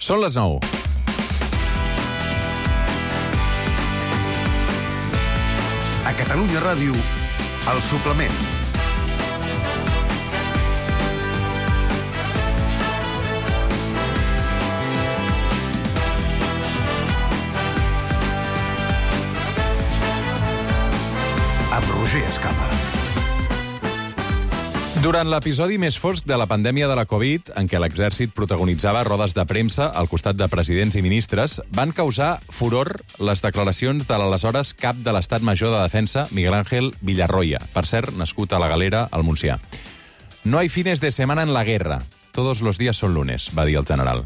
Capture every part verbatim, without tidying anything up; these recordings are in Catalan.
Són les nou. A Catalunya Ràdio, El Suplement. Amb Roger Escapa. Durant l'episodi més fosc de la pandèmia de la Covid, en què l'exèrcit protagonitzava rodes de premsa al costat de presidents i ministres, van causar furor les declaracions de l'aleshores cap de l'Estat Major de Defensa, Miguel Ángel Villarroya, per cert, nascut a la Galera, al Montsià. No hay fines de semana en la guerra. Todos los días son lunes, va dir el general.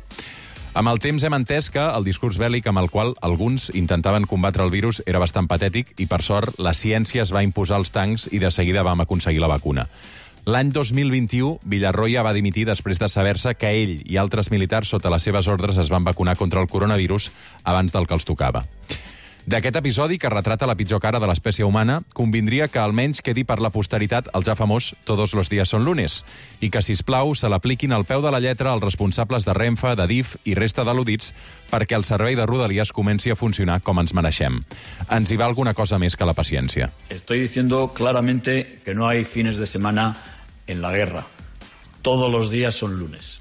Amb el temps hem entès que el discurs bèl·lic amb el qual alguns intentaven combatre el virus era bastant patètic i, per sort, la ciència es va imposar als tancs i de seguida vam aconseguir la vacuna. L'any dos mil vint-i-u, Villarroya va dimitir després de saber-se que ell i altres militars sota les seves ordres es van vacunar contra el coronavirus abans del que els tocava. D'aquest episodi, que retrata la pitjor cara de l'espècie humana, convindria que almenys quedi per la posteritat el ja famós «Todos los días son lunes» i que, sisplau, se l'apliquin al peu de la lletra als responsables de Renfe, de D I F i resta d'al·ludits perquè el servei de Rodalies comenci a funcionar com ens mereixem. Ens hi va alguna cosa més que la paciència. Estoy diciendo claramente que no hay fines de semana en la guerra. Todos los días son lunes.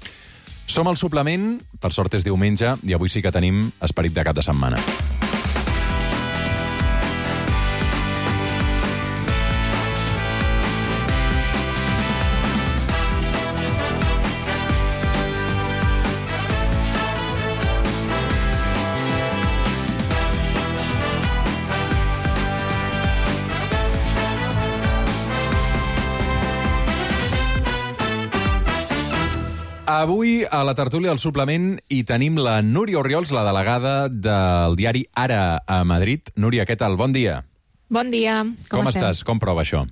Som al Suplement, per sort és diumenge, i avui sí que tenim esperit de cap de setmana. Avui, a la tertúlia del Suplement, hi tenim la Núria Orriols, la delegada del diari Ara a Madrid. Núria, què tal? Bon dia. Bon dia. Com, Com estem? estàs? Com prova això?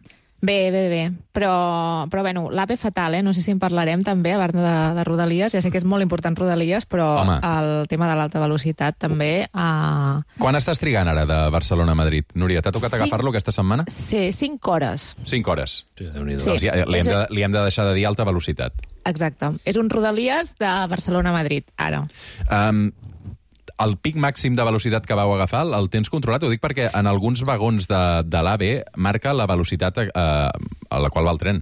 Bé, bé, bé. Però, però bueno, l'A P fatal, eh? No sé si en parlarem també, a part de, de Rodalies. Ja sé que és molt important Rodalies, però Home. el tema de l'alta velocitat també... Uh... Quan estàs trigant ara de Barcelona a Madrid? Núria, t'ha tocat Cinc... agafar-lo aquesta setmana? Sí, cinc hores. Cinc hores. Sí, Sí. Doncs ja, li, hem de, li hem de deixar de dir alta velocitat. Exacte. És un Rodalies de Barcelona a Madrid, ara. Um, el pic màxim de velocitat que vau agafar, el tens controlat? Ho dic perquè en alguns vagons de, de l'A V marca la velocitat eh, a la qual va el tren.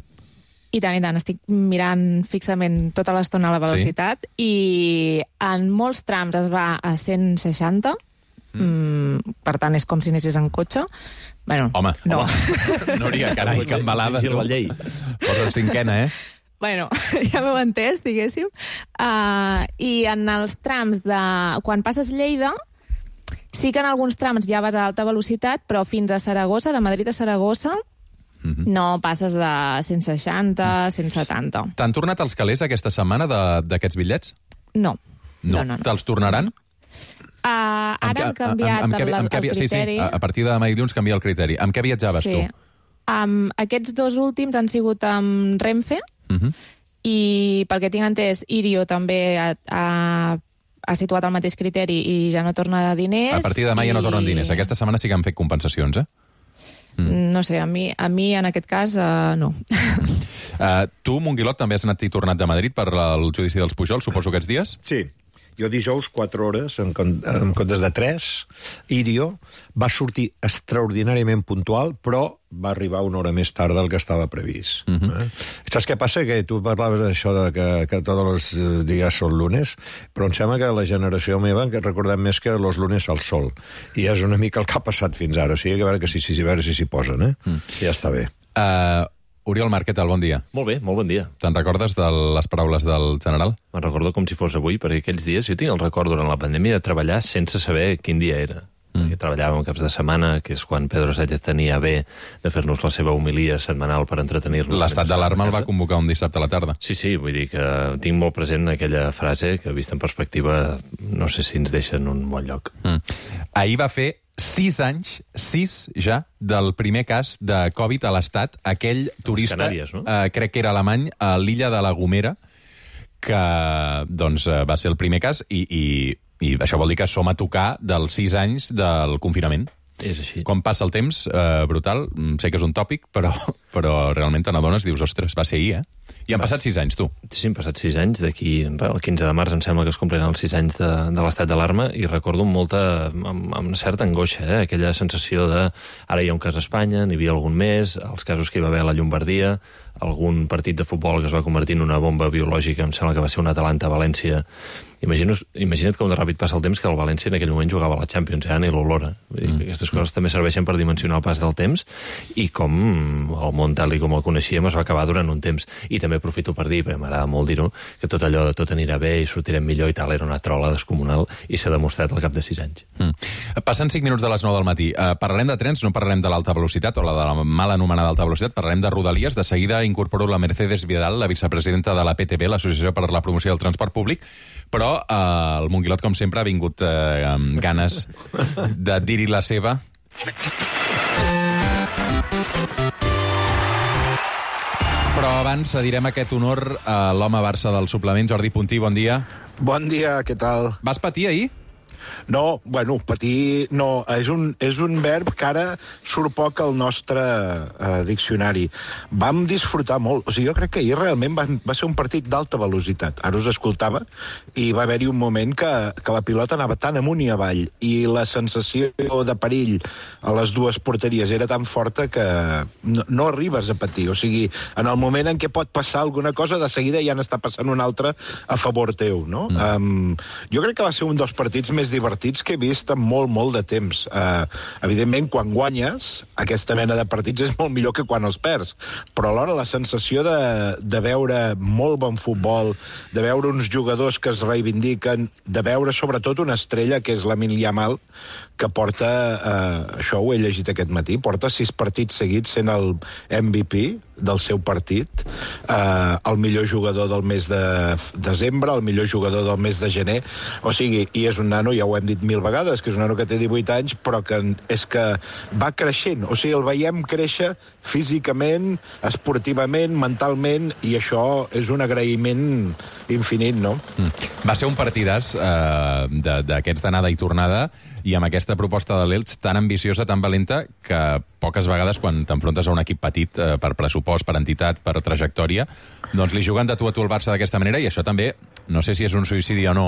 I tant, i tant. Estic mirant fixament tota l'estona la velocitat sí. i en molts trams es va a cent seixanta, mm. Mm, per tant és com si anessis en cotxe. Bueno, home, no. home. Núria, carai, que embalada. Vigila la llei. Posa cinquena, eh? Bueno, ja m'heu entès, diguéssim. Uh, I en els trams de... Quan passes Lleida, sí que en alguns trams ja vas a alta velocitat, però fins a Saragossa, de Madrid a Saragossa, mm-hmm. no passes de cent seixanta, cent setanta. T'han tornat els calés aquesta setmana d'aquests bitllets? No. No. no, no, no. Te'ls tornaran? Uh, ara han canviat amb, amb, amb, el, amb, amb, el sí, criteri. Sí, a partir de demà i dilluns canvia el criteri. Amb què viatjaves sí. tu? Um, aquests dos últims han sigut amb Renfe, uh-huh. i pel que tinc entès, Irio també ha, ha, ha situat el mateix criteri i ja no torna diners. A partir de demà i... ja no tornen diners. Aquesta setmana sí que han fet compensacions, eh? Mm. No sé, a mi, a mi en aquest cas, uh, no. uh, tu, Monguilot, també has anat i tornat de Madrid per el judici dels Pujol, suposo, aquests dies? Sí. Jo dijous, quatre hores, en, en comptes de tres, Irio va sortir extraordinàriament puntual, però va arribar una hora més tard del que estava previst. Uh-huh. eh? Saps què passa? Que tu parlaves d'això de que, que tots els dies són lunes, però em sembla que la generació meva que recordem més que los lunes al sol. I és una mica el que ha passat fins ara. O sigui, que a veure que si s'hi si, si, si posen, eh? Mm. Ja està bé. Uh, Oriol Marc, què tal? Bon dia. Molt bé, molt bon dia. Te'n recordes de les paraules del general? Me'n recordo com si fos avui, perquè aquells dies jo tinc el record durant la pandèmia de treballar sense saber quin dia era. Mm. Perquè treballàvem caps de setmana, que és quan Pedro Sánchez tenia bé de fer-nos la seva homilia setmanal per entretenir-nos. L'estat d'alarma el va convocar un dissabte a la tarda. Sí, sí, vull dir que tinc molt present aquella frase que, vista en perspectiva, no sé si ens deixa en un bon lloc. Mm. Ahir va fer sis anys, sis ja, del primer cas de Covid a l'Estat, aquell turista, Canàries, no? eh, crec que era alemany, a l'illa de la Gomera, que doncs, va ser el primer cas, i, i, i això vol dir que som a tocar dels sis anys del confinament. És així. Com passa el temps, eh, brutal. Sé que és un tòpic, però, però realment te n'adones, dius, ostres, va ser ahir, eh? I han Va. passat sis anys, tu. Sí, han passat sis anys. D'aquí, el quinze de març, em sembla que es compliran els sis anys de, de l'estat d'alarma, i recordo amb molta, amb, amb una certa angoixa, eh? Aquella sensació de ara hi ha un cas a Espanya, n'hi havia algun més, els casos que hi va haver a la Llombardia, algun partit de futbol que es va convertir en una bomba biològica, em sembla que va ser un Atalanta-València. Imagina't, imagina't com de ràpid passa el temps, que el València en aquell moment jugava a la Champions, ja ni l'olora. Mm. Aquestes coses també serveixen per dimensionar el pas del temps, i com el món tal i com el coneixíem es va acabar durant un temps. I també aprofito per dir, perquè m'agrada molt dir-ho, que tot allò de tot anirà bé i sortirem millor i tal era una trola descomunal, i s'ha demostrat al cap de sis anys. Mm. Passen cinc minuts de les nou del matí. Uh, parlarem de trens, no parlarem de l'alta velocitat o la de la mal anomenada alta velocitat, parlarem de Rodalies. De seguida incorporo la Mercedes Vidal, la vicepresidenta de la P T P, l'Associació per la Promoció del Transport Públic, però uh, el Monguilot, com sempre, ha vingut uh, amb ganes de dir-hi la seva. Però abans cedirem aquest honor a l'home Barça del suplement, Jordi Puntí, bon dia. Bon dia, què tal? Vas patir ahir? No, bueno, patir no, és un, és un verb que ara surt poc al nostre eh, diccionari. Vam disfrutar molt, o sigui, jo crec que ahir realment va, va ser un partit d'alta velocitat. Ara us escoltava i va haver-hi un moment que, que la pilota anava tan amunt i avall i la sensació de perill a les dues porteries era tan forta que no, no arribes a patir. O sigui, en el moment en què pot passar alguna cosa, de seguida ja n'està passant una altra a favor teu, no? Mm. Um, jo crec que va ser un dels partits més divertits que he vist en molt, molt de temps. Uh, evidentment, quan guanyes, aquesta mena de partits és molt millor que quan els perds, però alhora la sensació de, de veure molt bon futbol, de veure uns jugadors que es reivindiquen, de veure sobretot una estrella que és Lamine Yamal, que porta, uh, això ho he llegit aquest matí, porta sis partits seguits sent el M V P del seu partit, uh, el millor jugador del mes de desembre, el millor jugador del mes de gener, o sigui, i és un nano, ja ho hem dit mil vegades, que és un nano que té divuit anys, però que és que va creixent, o sigui, el veiem créixer físicament, esportivament, mentalment, i això és un agraïment infinit, no? Mm. Va ser un partidàs eh, d'aquests d'anada i tornada, i amb aquesta proposta de l'Elx tan ambiciosa, tan valenta, que poques vegades quan t'enfrontes a un equip petit eh, per pressupost, per entitat, per trajectòria, doncs li juguen de tu a tu al Barça d'aquesta manera, i això també, no sé si és un suïcidi o no,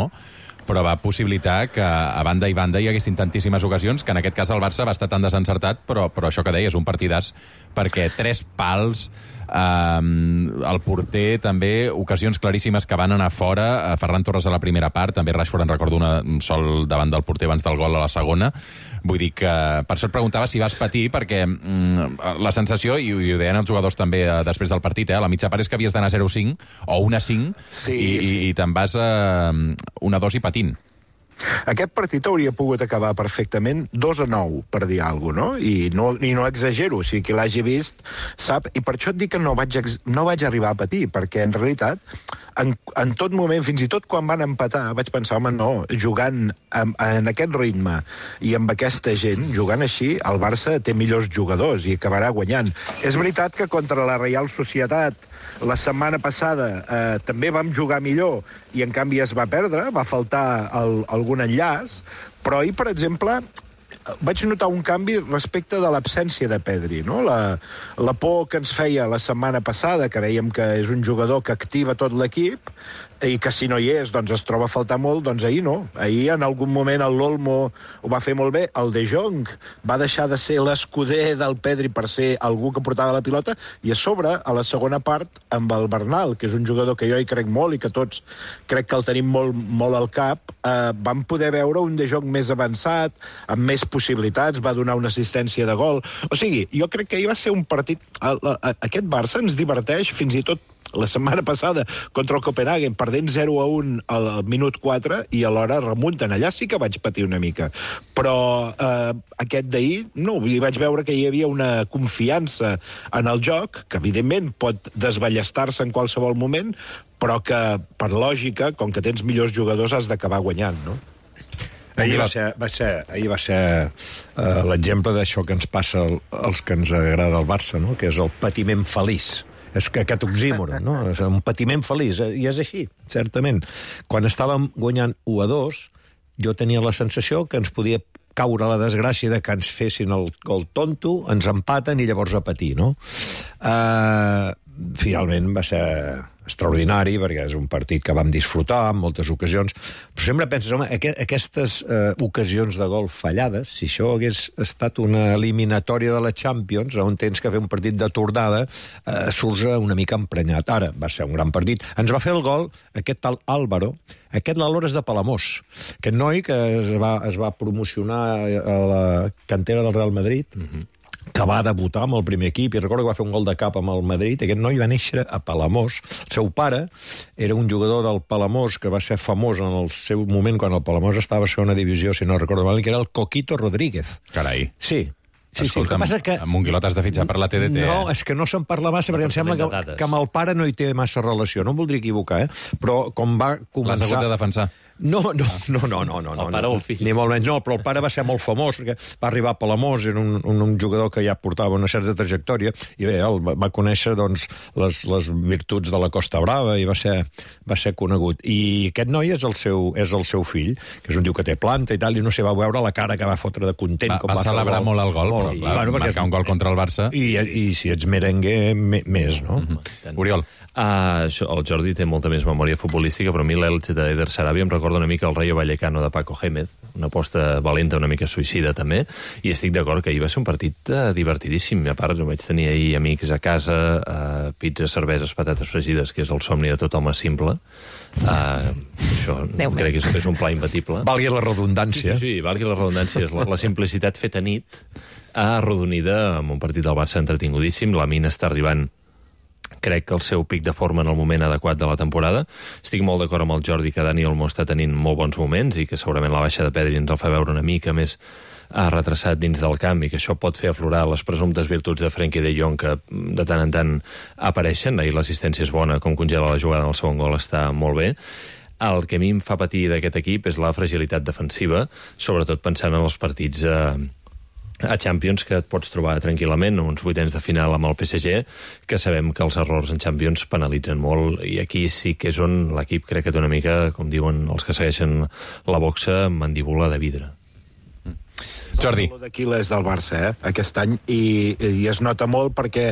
però va possibilitar que a banda i banda hi haguessin tantíssimes ocasions, que en aquest cas el Barça va estar tan desencertat, però, però això que deies, un partidàs, perquè tres pals, eh, el porter també, ocasions claríssimes que van anar fora, eh, Ferran Torres a la primera part, també Rashford en recordo una, un sol davant del porter abans del gol a la segona. Vull dir que, per això et preguntava si vas patir, perquè mm, la sensació, i, i ho deien els jugadors també eh, després del partit, eh, a la mitja part és que havies d'anar zero cinc o un a cinc, sí, i, sí. i, i te'n vas a un a dos i patint. Aquest partit hauria pogut acabar perfectament dos a nou, per dir alguna cosa, no? I no, i no exagero, o sigui, qui l'hagi vist sap, i per això et dic que no vaig, no vaig arribar a patir, perquè en realitat, en, en tot moment, fins i tot quan van empatar, vaig pensar, home, no, jugant en, en aquest ritme i amb aquesta gent, jugant així, el Barça té millors jugadors i acabarà guanyant. És veritat que contra la Reial Societat la setmana passada eh, també vam jugar millor i en canvi es va perdre, va faltar el, algun enllaç, però ahir, per exemple, vaig notar un canvi respecte de l'absència de Pedri, no? La, la por que ens feia la setmana passada, que veiem que és un jugador que activa tot l'equip, i que si no hi és, doncs es troba a faltar molt, doncs ahir no. Ahir en algun moment el l'Olmo ho va fer molt bé, el De Jong va deixar de ser l'escuder del Pedri per ser algú que portava la pilota, i a sobre, a la segona part, amb el Bernal, que és un jugador que jo hi crec molt i que tots crec que el tenim molt, molt al cap, eh, vam poder veure un De Jong més avançat, amb més possibilitats, va donar una assistència de gol. O sigui, jo crec que ahir va ser un partit... Aquest Barça ens diverteix fins i tot la setmana passada contra el Copenhagen, perdent zero a un al minut quatre, i alhora remunten. Allà sí que vaig patir una mica. Però eh, aquest d'ahir, no, hi vaig veure que hi havia una confiança en el joc, que evidentment pot desballestar-se en qualsevol moment, però que, per lògica, com que tens millors jugadors, has d'acabar guanyant, no? Ahir va ser, va ser, ahir va ser uh, l'exemple d'això que ens passa al, als que ens agrada el Barça, no? Que és el patiment feliç. És que aquest oxímoron, no? És un patiment feliç, i és així, certament. Quan estàvem guanyant u a dos, jo tenia la sensació que ens podia caure la desgràcia de que ens fessin el, el tonto, ens empaten i llavors a patir, no? Uh, finalment va ser extraordinari, perquè és un partit que vam disfrutar en moltes ocasions, però sempre penses, home, aqu aquestes eh, ocasions de gol fallades, si això hagués estat una eliminatòria de la Champions, on tens que fer un partit de tornada, eh, surts una mica emprenyat. Ara, va ser un gran partit. Ens va fer el gol aquest tal Álvaro, aquest l'Álvaro és de Palamós, aquest noi que es va, es va promocionar a la cantera del Real Madrid, mm-hmm. que va debutar amb el primer equip, i recordo que va fer un gol de cap amb el Madrid. Aquest noi va néixer a Palamós. El seu pare era un jugador del Palamós que va ser famós en el seu moment, quan el Palamós estava a segona divisió, si no recordo mal, que era el Coquito Rodríguez. Carai. Sí. Sí, Escolta, sí, que... amb Monguilot has de fitxar per la T D T, No, eh? és que no se'n parla massa, perquè em sembla que, que amb el pare no hi té massa relació. No em voldria equivocar, eh? Però com va començar... L'has hagut de defensar. No, no, no, no, no, no. El pare o el fill? Ni molt menys, no, però el pare va ser molt famós, perquè va arribar a Palamós, era un, un, un jugador que ja portava una certa trajectòria, i bé, el va, va conèixer, doncs, les, les virtuts de la Costa Brava, i va ser, va ser conegut. I aquest noi és el seu, és el seu fill, que és un diu que té planta i tal, i no sé, va veure la cara que va fotre de content. Va, com va, va celebrar el molt el gol, molt, però clar, claro, marcar un gol contra el Barça. I, i si ets merengue, me, més, no? Mm-hmm. Oriol. Uh, això, el Jordi té molta més memòria futbolística, però a mi l'Elche d'Eder Sarabia em recorda una mica el Rayo Vallecano de Paco Gémez, una aposta valenta, una mica suïcida també, i estic d'acord que ahir va ser un partit uh, divertidíssim. A part, vaig tenir ahir amics a casa, uh, pizza, cerveses, patates fregides, que és el somni de tot home simple. Uh, això Déu crec que és, és un pla imbatible. Valgui la redundància. Sí, sí, sí, valgui la redundància. És la, la simplicitat feta nit, arrodonida amb un partit del Barça entretingudíssim. La mina està arribant, crec que el seu pic de forma en el moment adequat de la temporada. Estic molt d'acord amb el Jordi que Dani Olmo està tenint molt bons moments i que segurament la baixa de Pedri ens el fa veure una mica més ha retrasat dins del camp i que això pot fer aflorar les presumptes virtuts de Frenkie de Jong que de tant en tant apareixen. Ahir l'assistència és bona, com congela la jugada en el segon gol està molt bé. El que a mi em fa patir d'aquest equip és la fragilitat defensiva, sobretot pensant en els partits a, a Champions, que et pots trobar tranquil·lament, uns vuitens de final amb el P S G, que sabem que els errors en Champions penalitzen molt, i aquí sí que és on l'equip crec que té una mica, com diuen els que segueixen la boxa, mandíbula de vidre. Jordi. El d'Aquiles del Barça, eh, aquest any, i, i es nota molt perquè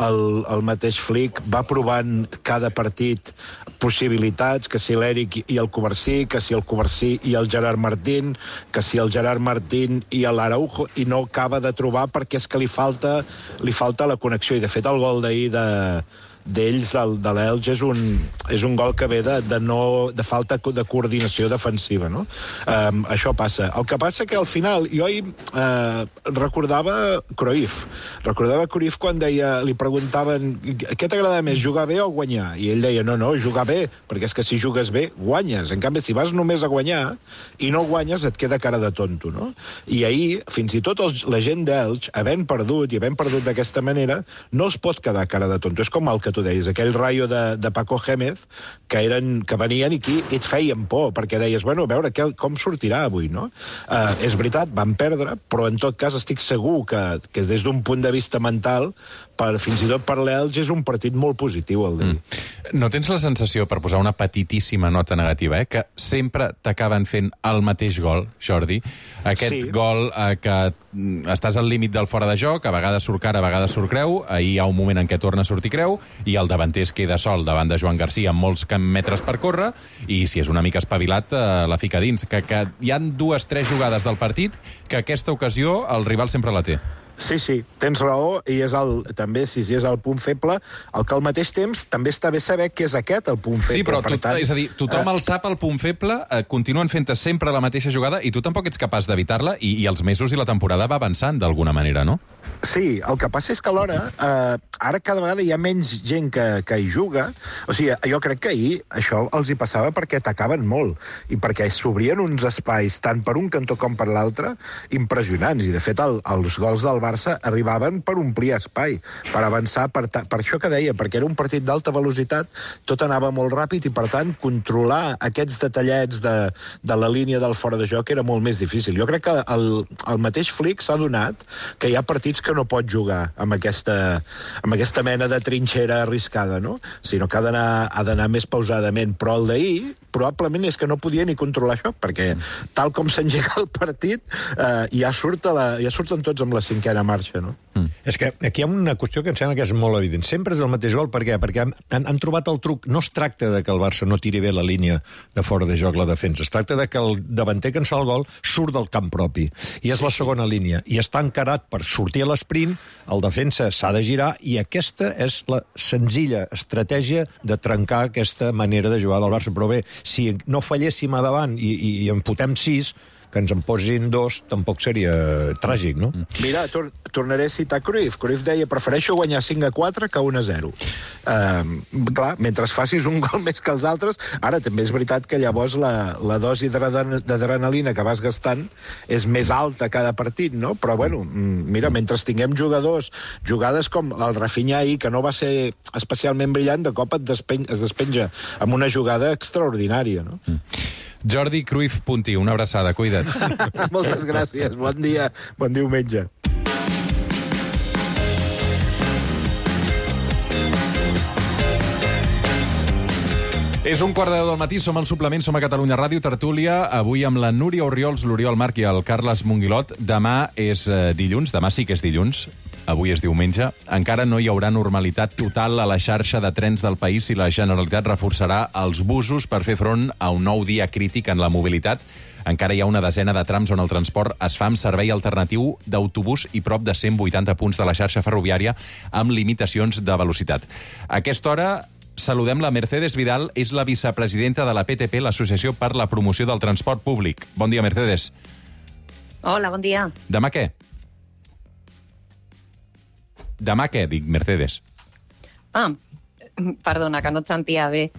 el, el mateix Flick va provant cada partit possibilitats, que si l'Eric i el Covarsí, que si el Covarsí i el Gerard Martín, que si el Gerard Martín i l'Araujo, i no acaba de trobar perquè és que li falta, li falta la connexió, i de fet el gol d'ahir de d'ells, del, de l'Elge, és un, és un gol que ve de, de, no, de falta de coordinació defensiva, no? Um, això passa. El que passa que al final, jo ahir uh, recordava Cruyff. Recordava Cruyff quan deia, li preguntaven què t'agrada més, jugar bé o guanyar? I ell deia, no, no, jugar bé, perquè és que si jugues bé, guanyes. En canvi, si vas només a guanyar i no guanyes, et queda cara de tonto, no? I ahir, fins i tot els, la gent d'Elx, havent perdut, i havent perdut d'aquesta manera, no es pot quedar cara de tonto. És com el que tu deies, aquell Rayo de, de Paco Gémez, que, eren, que venien i aquí et feien por, perquè deies, bueno, a veure que, com sortirà avui, no? Uh, és veritat, van perdre, però en tot cas estic segur que, que des d'un punt de vista mental, per, fins i tot per l'Elx, és un partit molt positiu el d'ahir. Mm. No tens la sensació, per posar una petitíssima nota negativa, eh, que sempre t'acaben fent el mateix gol, Jordi? Aquest sí. gol eh, que estàs al límit del fora de joc, a vegades surt cara, a vegades surt creu, ahir hi ha un moment en què torna a sortir creu, i el davanter es queda sol davant de Joan Garcia amb molts metres per córrer, i si és una mica espavilat, eh, la fica dins. Que, que hi han dues, tres jugades del partit que aquesta ocasió el rival sempre la té. Sí, sí, tens raó, i és el, també, si és el punt feble, el que al mateix temps també està bé saber que és aquest el punt feble. Sí, però per tu, tant, és a dir, tothom eh, el sap el punt feble, eh, continuen fent sempre la mateixa jugada, i tu tampoc ets capaç d'evitar-la, i, i els mesos i la temporada va avançant d'alguna manera, no? Sí, el que passa és que alhora, eh, ara cada vegada hi ha menys gent que, que hi juga. O sigui, jo crec que ahir això els hi passava perquè atacaven molt i perquè s'obrien uns espais, tant per un cantó com per l'altre, impressionants. I, de fet, el, els gols del Barça arribaven per omplir espai, per avançar, per, ta, per això que deia, perquè era un partit d'alta velocitat, tot anava molt ràpid i, per tant, controlar aquests detallets de, de la línia del fora de joc era molt més difícil. Jo crec que el, el mateix Flick s'ha donat que hi ha partits que no pot jugar amb aquesta, amb aquesta mena de trinxera arriscada, no? Sinó que ha d'anar ha d'anar més pausadament. Però el d'ahir, probablement és que no podia ni controlar això, perquè tal com s'engega el partit, eh, ja, surt a la, ja surten tots amb la cinquena marxa, no? Mm. És que aquí hi ha una qüestió que em sembla que és molt evident. Sempre és el mateix gol, per què? Perquè han, han trobat el truc. No es tracta de que el Barça no tiri bé la línia de fora de joc, la defensa. Es tracta de que el davanter que ens fa el gol surt del camp propi. I és la segona línia. I està encarat per sortir a l'esprint, el defensa s'ha de girar, i aquesta és la senzilla estratègia de trencar aquesta manera de jugar del Barça. Però bé, si no falléssim a davant i, i, i en fotem sis, que ens en posin dos, tampoc seria tràgic, no? Mira, tor tornaré a citar Cruyff. Cruyff deia, prefereixo guanyar cinc a quatre que un a zero. Uh, clar, mentre facis un gol més que els altres, ara també és veritat que llavors la, la dosi d'adrenalina que vas gastant és més alta cada partit, no? Però, bueno, mira, mentre tinguem jugadors, jugades com el Rafinha ahir, que no va ser especialment brillant, de cop et despen es despenja amb una jugada extraordinària, no? Mm. Jordi Cruyff Puntí, una abraçada, cuida't. Moltes gràcies, bon dia, bon diumenge. És un quart de deu del matí, som al suplement, som a Catalunya Ràdio, tertúlia, avui amb la Núria Orriols, l'Oriol Marc i el Carles Monguilot. Demà és eh, dilluns, demà sí que és dilluns, avui és diumenge. Encara no hi haurà normalitat total a la xarxa de trens del país si la Generalitat reforçarà els busos per fer front a un nou dia crític en la mobilitat. Encara hi ha una desena de trams on el transport es fa amb servei alternatiu d'autobús i prop de cent vuitanta punts de la xarxa ferroviària amb limitacions de velocitat. A aquesta hora saludem la Mercedes Vidal, és la vicepresidenta de la P T P, l'Associació per la Promoció del Transport Públic. Bon dia, Mercedes. Hola, bon dia. Demà què? Demà què, dic, Mercedes? Ah, perdona, que no et sentia bé.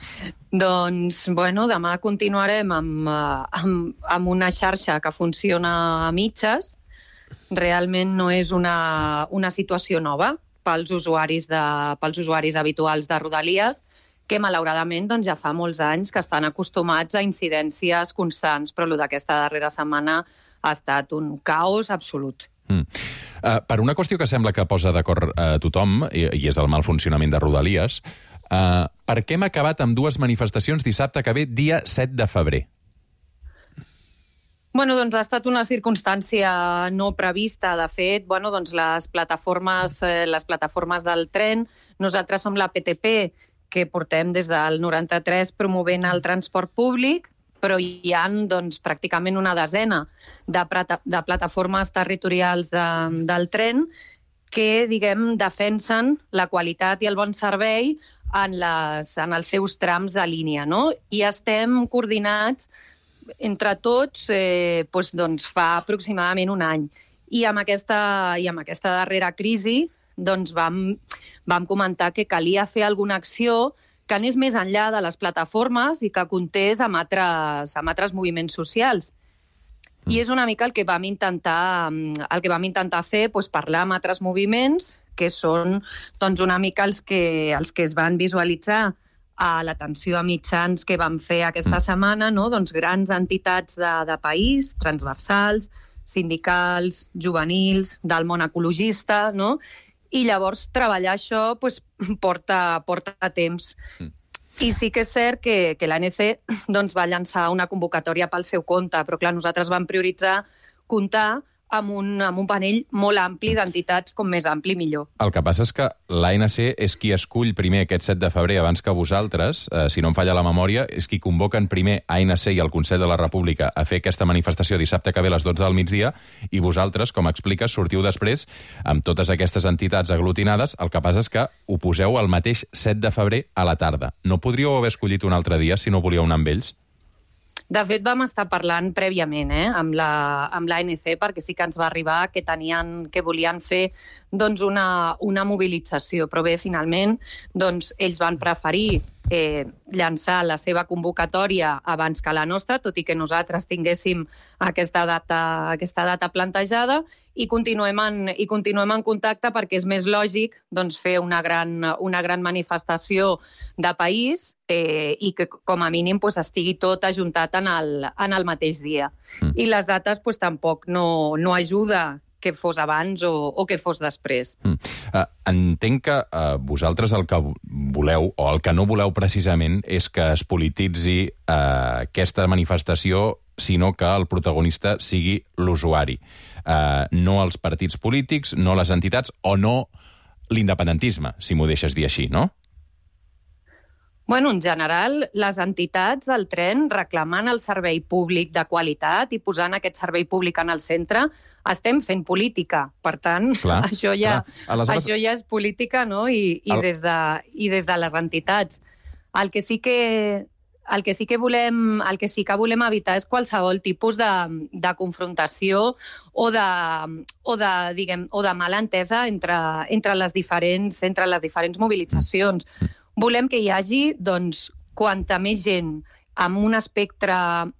Doncs, bueno, demà continuarem amb, amb, amb una xarxa que funciona a mitges. Realment no és una, una situació nova pels usuaris, de, pels usuaris habituals de Rodalies, que malauradament doncs, ja fa molts anys que estan acostumats a incidències constants, però el d'aquesta darrera setmana ha estat un caos absolut. Mm. Uh, per una qüestió que sembla que posa d'acord uh, tothom, i, i és el mal funcionament de Rodalies, uh, per què hem acabat amb dues manifestacions dissabte que ve, dia set de febrer? Bueno, doncs ha estat una circumstància no prevista. De fet, bueno, doncs les plataformes, eh, les plataformes del tren, nosaltres som la P T P, que portem des del noranta-tres promovent el transport públic, però hi ha doncs, pràcticament una desena de, de plataformes territorials de, del tren que, diguem, defensen la qualitat i el bon servei en, les, en els seus trams de línia, no? I estem coordinats entre tots eh, doncs, doncs, fa aproximadament un any. I amb aquesta, i amb aquesta darrera crisi doncs, vam, vam comentar que calia fer alguna acció que anés més enllà de les plataformes i que comptés amb altres, amb altres moviments socials. I és una mica el que vam intentar, el que vam intentar fer, doncs parlar amb altres moviments, que són doncs, una mica els que, els que es van visualitzar a l'atenció a mitjans que vam fer aquesta setmana, no? Doncs grans entitats de, de país, transversals, sindicals, juvenils, del món ecologista, no? I llavors treballar això pues, porta, porta temps. Mm. I sí que és cert que, que l'A N C doncs, va llançar una convocatòria pel seu compte, però clar, nosaltres vam prioritzar comptar amb un, amb un panell molt ampli d'entitats, com més ampli millor. El que passa és que l'A N C és qui escull primer aquest set de febrer abans que vosaltres, eh, si no em falla la memòria, és qui convoquen primer A N C i el Consell de la República a fer aquesta manifestació dissabte que ve a les dotze del migdia, i vosaltres, com expliques, sortiu després amb totes aquestes entitats aglutinades. El que passa és que ho poseu el mateix set de febrer a la tarda. No podríeu haver escollit un altre dia si no volíeu anar amb ells? De fet, vam estar parlant prèviament eh, amb la, amb l'A N C, perquè sí que ens va arribar que tenien, que volien fer doncs, una, una mobilització. Però bé, finalment, doncs, ells van preferir eh, llançar la seva convocatòria abans que la nostra, tot i que nosaltres tinguéssim aquesta data, aquesta data plantejada, i continuem en, i continuem en contacte perquè és més lògic doncs, fer una gran, una gran manifestació de país eh, i que com a mínim pues, estigui tot ajuntat en el, en el mateix dia. Mm. I les dates pues, tampoc no, no ajuda que fos abans o, o que fos després. Mm. Uh, entenc que uh, vosaltres el que voleu, o el que no voleu precisament, és que es polititzi uh, aquesta manifestació, sinó que el protagonista sigui l'usuari. Uh, no els partits polítics, no les entitats, o no l'independentisme, si m'ho deixes dir així, no? Bueno, en general, les entitats del tren reclamant el servei públic de qualitat i posant aquest servei públic en el centre, estem fent política. Per tant, clar, això, ja, Aleshores... això ja és política, no? I, i, el... des de, i des de les entitats. El que sí que, el que, sí que volem, el que sí que volem evitar és qualsevol tipus de, de confrontació o de, o de, diguem, o de mala entesa entre, entre, les diferents, entre les diferents mobilitzacions. Volem que hi hagi, doncs, quanta més gent amb un espectre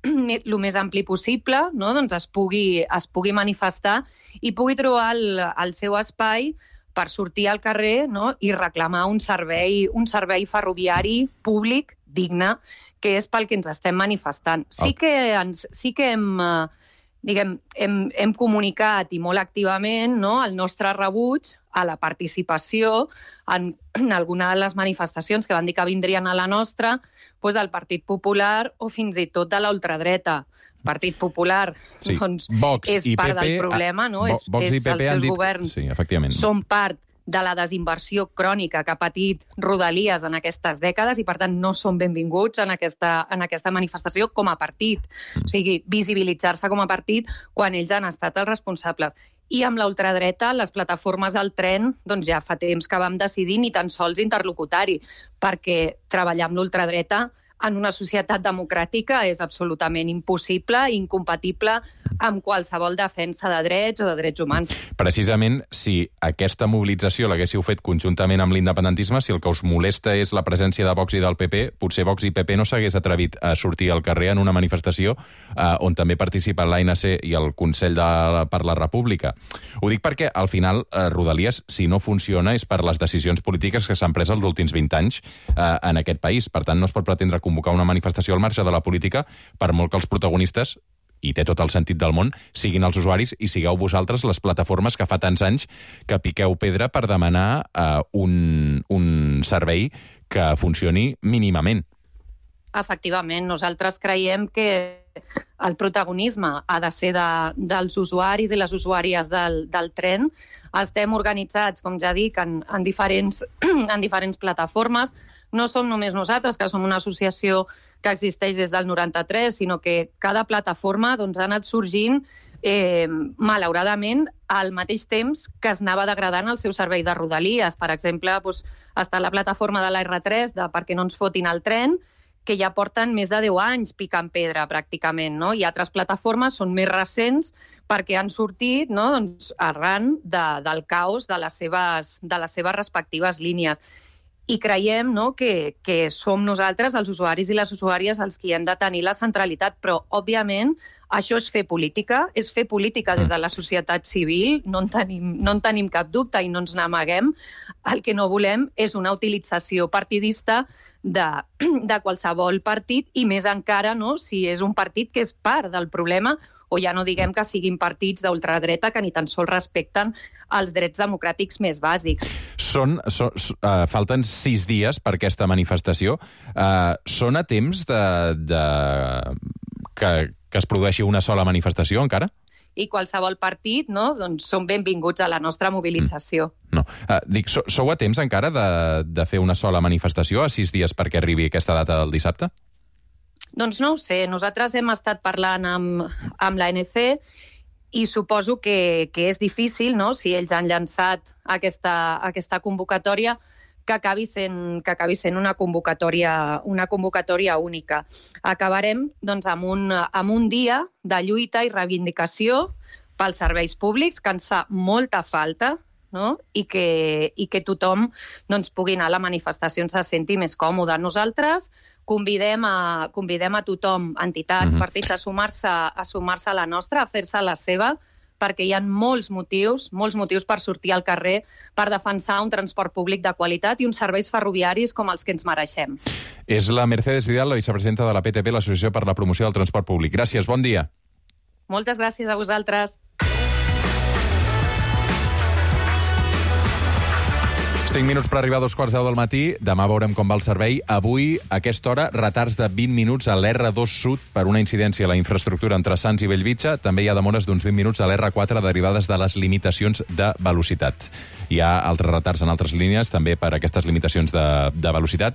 el més ampli possible, no? Doncs es pugui, es pugui manifestar i pugui trobar el, el seu espai per sortir al carrer, no? I reclamar un servei, un servei ferroviari públic digne, que és pel que ens estem manifestant. Sí que, ens, sí que hem... Diguem, hem, hem comunicat i molt activament, no, el nostre rebuig a la participació en, en alguna de les manifestacions que van dir que vindrien a la nostra, doncs del Partit Popular o fins i tot de la ultradreta. Partit Popular, sí. doncs, Vox és i part P P, del problema, no? Vo, és, Vox és i P P els seus dit... governs sí, efectivament. són part de la desinversió crònica que ha patit Rodalies en aquestes dècades i, per tant, no són benvinguts en aquesta, en aquesta manifestació com a partit. O sigui, visibilitzar-se com a partit quan ells han estat els responsables. I amb la ultradreta, les plataformes del tren, doncs ja fa temps que vam decidir ni tan sols interlocutar-hi, perquè treballar amb l'ultradreta en una societat democràtica és absolutament impossible i incompatible amb qualsevol defensa de drets o de drets humans. Precisament, si aquesta mobilització l'haguéssiu fet conjuntament amb l'independentisme, si el que us molesta és la presència de Vox i del P P, potser Vox i P P no s'hagués atrevit a sortir al carrer en una manifestació eh, on també participen l'A N C i el Consell de, per la República. Ho dic perquè, al final, eh, Rodalies, si no funciona, és per les decisions polítiques que s'han pres els últims vint anys eh, en aquest país. Per tant, no es pot pretendre convocar una manifestació al marge de la política, per molt que els protagonistes, i té tot el sentit del món, siguin els usuaris i sigueu vosaltres les plataformes que fa tants anys que piqueu pedra per demanar uh, un, un servei que funcioni mínimament. Efectivament, nosaltres creiem que el protagonisme ha de ser de, dels usuaris i les usuàries del, del tren. Estem organitzats, com ja dic, en, en, diferents, en diferents plataformes. No som només nosaltres, que som una associació que existeix des del noranta-tres, sinó que cada plataforma doncs, ha anat sorgint, eh, malauradament, al mateix temps que es anava degradant el seu servei de Rodalies. Per exemple, doncs, està la plataforma de la erre tres, de perquè no ens fotin el tren, que ja porten més de deu anys picant pedra, pràcticament, no? I altres plataformes són més recents perquè han sortit, no? doncs, arran de, del caos de les seves, de les seves respectives línies. I creiem, no, que, que som nosaltres, els usuaris i les usuàries, els qui hem de tenir la centralitat, però, òbviament, això és fer política, és fer política des de la societat civil, no en tenim, no en tenim cap dubte i no ens n'amaguem. El que no volem és una utilització partidista de, de qualsevol partit i més encara, no, si és un partit que és part del problema, o ja no diguem que siguin partits d'ultradreta que ni tan sols respecten els drets democràtics més bàsics. Són, són, uh, falten sis dies per aquesta manifestació. Uh, són a temps de, de, que, que es produeixi una sola manifestació encara? I qualsevol partit, no, doncs són benvinguts a la nostra mobilització. Mm. No. Uh, dic, so, sou a temps encara de, de fer una sola manifestació a sis dies perquè arribi aquesta data del dissabte? Doncs no ho sé. Nosaltres hem estat parlant amb, amb l'A N C i suposo que, que és difícil, no?, si ells han llançat aquesta, aquesta convocatòria, que acabi sent, que acabi sent una convocatòria, una convocatòria única. Acabarem doncs, amb, un, amb un dia de lluita i reivindicació pels serveis públics, que ens fa molta falta, no? I, que, i que tothom doncs, pugui anar a la manifestació on se senti més còmode. Nosaltres convidem a, convidem a tothom, entitats, mm-hmm. partits, a sumar-se a sumar-se a la nostra, a fer-se la seva, perquè hi ha molts motius, molts motius per sortir al carrer per defensar un transport públic de qualitat i uns serveis ferroviaris com els que ens mereixem. És la Mercedes Vidal, la vicepresidenta de la P T P, l'Associació per la Promoció del Transport Públic. Gràcies, bon dia. Moltes gràcies a vosaltres. cinc minuts per arribar a dos quarts deu del matí. Demà veurem com va el servei. Avui, a aquesta hora, retards de vint minuts a l'erre dos Sud per una incidència a la infraestructura entre Sants i Bellvitge. També hi ha demores d'uns vint minuts a l'erre quatre derivades de les limitacions de velocitat. Hi ha altres retards en altres línies, també per aquestes limitacions de, de velocitat.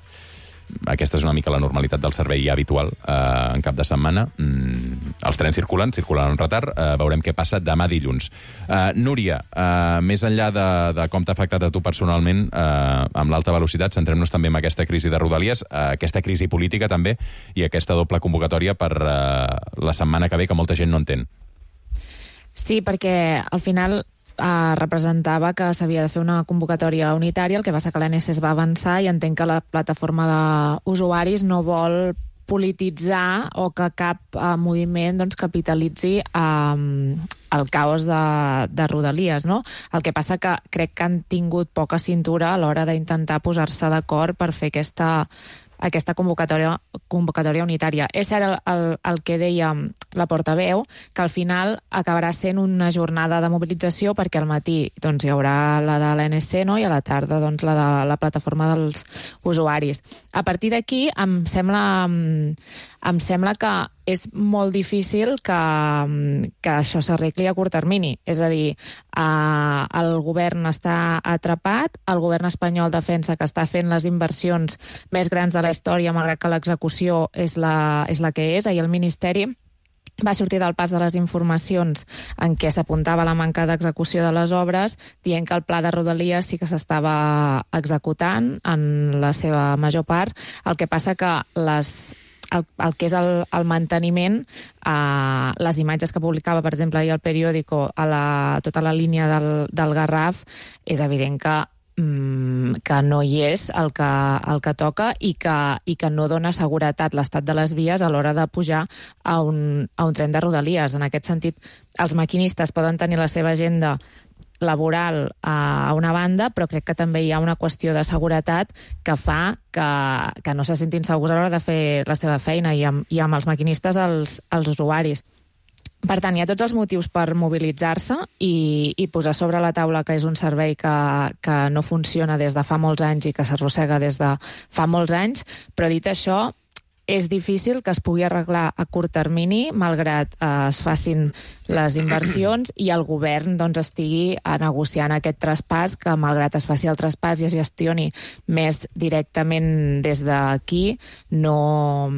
Aquesta és una mica la normalitat del servei habitual eh, en cap de setmana. Mm, els trens circulen, circulen en retard. Eh, veurem què passa demà dilluns. Eh, Núria, eh, més enllà de, de com t'ha afectat a tu personalment eh, amb l'alta velocitat, centrem-nos també en aquesta crisi de Rodalies, eh, aquesta crisi política també, i aquesta doble convocatòria per eh, la setmana que ve, que molta gent no entén. Sí, perquè al final Uh, representava que s'havia de fer una convocatòria unitària, el que va ser que l'A N S es va avançar i entenc que la plataforma d'usuaris no vol polititzar o que cap uh, moviment doncs, capitalitzi um, el caos de, de Rodalies, no? El que passa que crec que han tingut poca cintura a l'hora d'intentar posar-se d'acord per fer aquesta aquesta convocatòria, convocatòria unitària. És cert el, el, el que deia la portaveu, que al final acabarà sent una jornada de mobilització perquè al matí doncs, hi haurà la de l'A N S, no? I a la tarda doncs, la de la plataforma dels usuaris. A partir d'aquí em sembla, em sembla que és molt difícil que, que això s'arregli a curt termini. És a dir, eh, el govern està atrapat, el govern espanyol defensa que està fent les inversions més grans de la història, malgrat que l'execució és la, és la que és. Ahir el Ministeri va sortir del pas de les informacions en què s'apuntava la manca d'execució de les obres, dient que el pla de Rodalies sí que s'estava executant en la seva major part. El que passa que les El, el que és el, el manteniment, eh, les imatges que publicava, per exemple, ahir el periòdico a la, tota la línia del, del Garraf, és evident que, mm, que no hi és el que, el que toca i que, i que no dona seguretat l'estat de les vies a l'hora de pujar a un, a un tren de Rodalies. En aquest sentit, els maquinistes poden tenir la seva agenda laboral a una banda, però crec que també hi ha una qüestió de seguretat que fa que, que no se sentin segurs a l'hora de fer la seva feina i amb, i amb els maquinistes els, els usuaris. Per tant, hi ha tots els motius per mobilitzar-se i, i posar sobre la taula que és un servei que, que no funciona des de fa molts anys i que s'arrossega des de fa molts anys, però dit això, és difícil que es pugui arreglar a curt termini, malgrat eh, es facin les inversions i el govern doncs, estigui a negociant aquest traspàs, que malgrat es faci el traspàs i es gestioni més directament des d'aquí, no,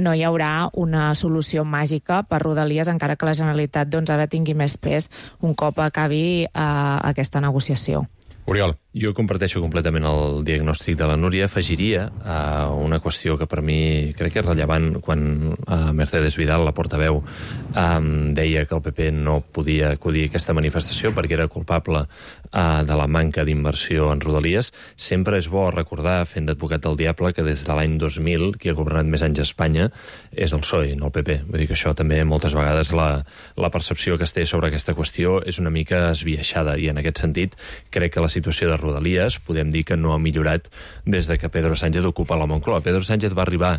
no hi haurà una solució màgica per Rodalies, encara que la Generalitat doncs, ara tingui més pes un cop acabi eh, aquesta negociació. Oriol. Jo comparteixo completament el diagnòstic de la Núria. Afegiria a uh, una qüestió que per mi crec que és rellevant quan uh, Mercedes Vidal, la portaveu, um, deia que el P P no podia acudir a aquesta manifestació perquè era culpable uh, de la manca d'inversió en Rodalies. Sempre és bo recordar, fent d'advocat del diable, que des de l'any dos mil, qui ha governat més anys a Espanya és el P S O E, no el P P. Vull dir que això també moltes vegades la, la percepció que es té sobre aquesta qüestió és una mica esbiaixada i en aquest sentit crec que la situació de Rodalies podem dir que no ha millorat des de que Pedro Sánchez ocupa la Moncloa. Pedro Sánchez va arribar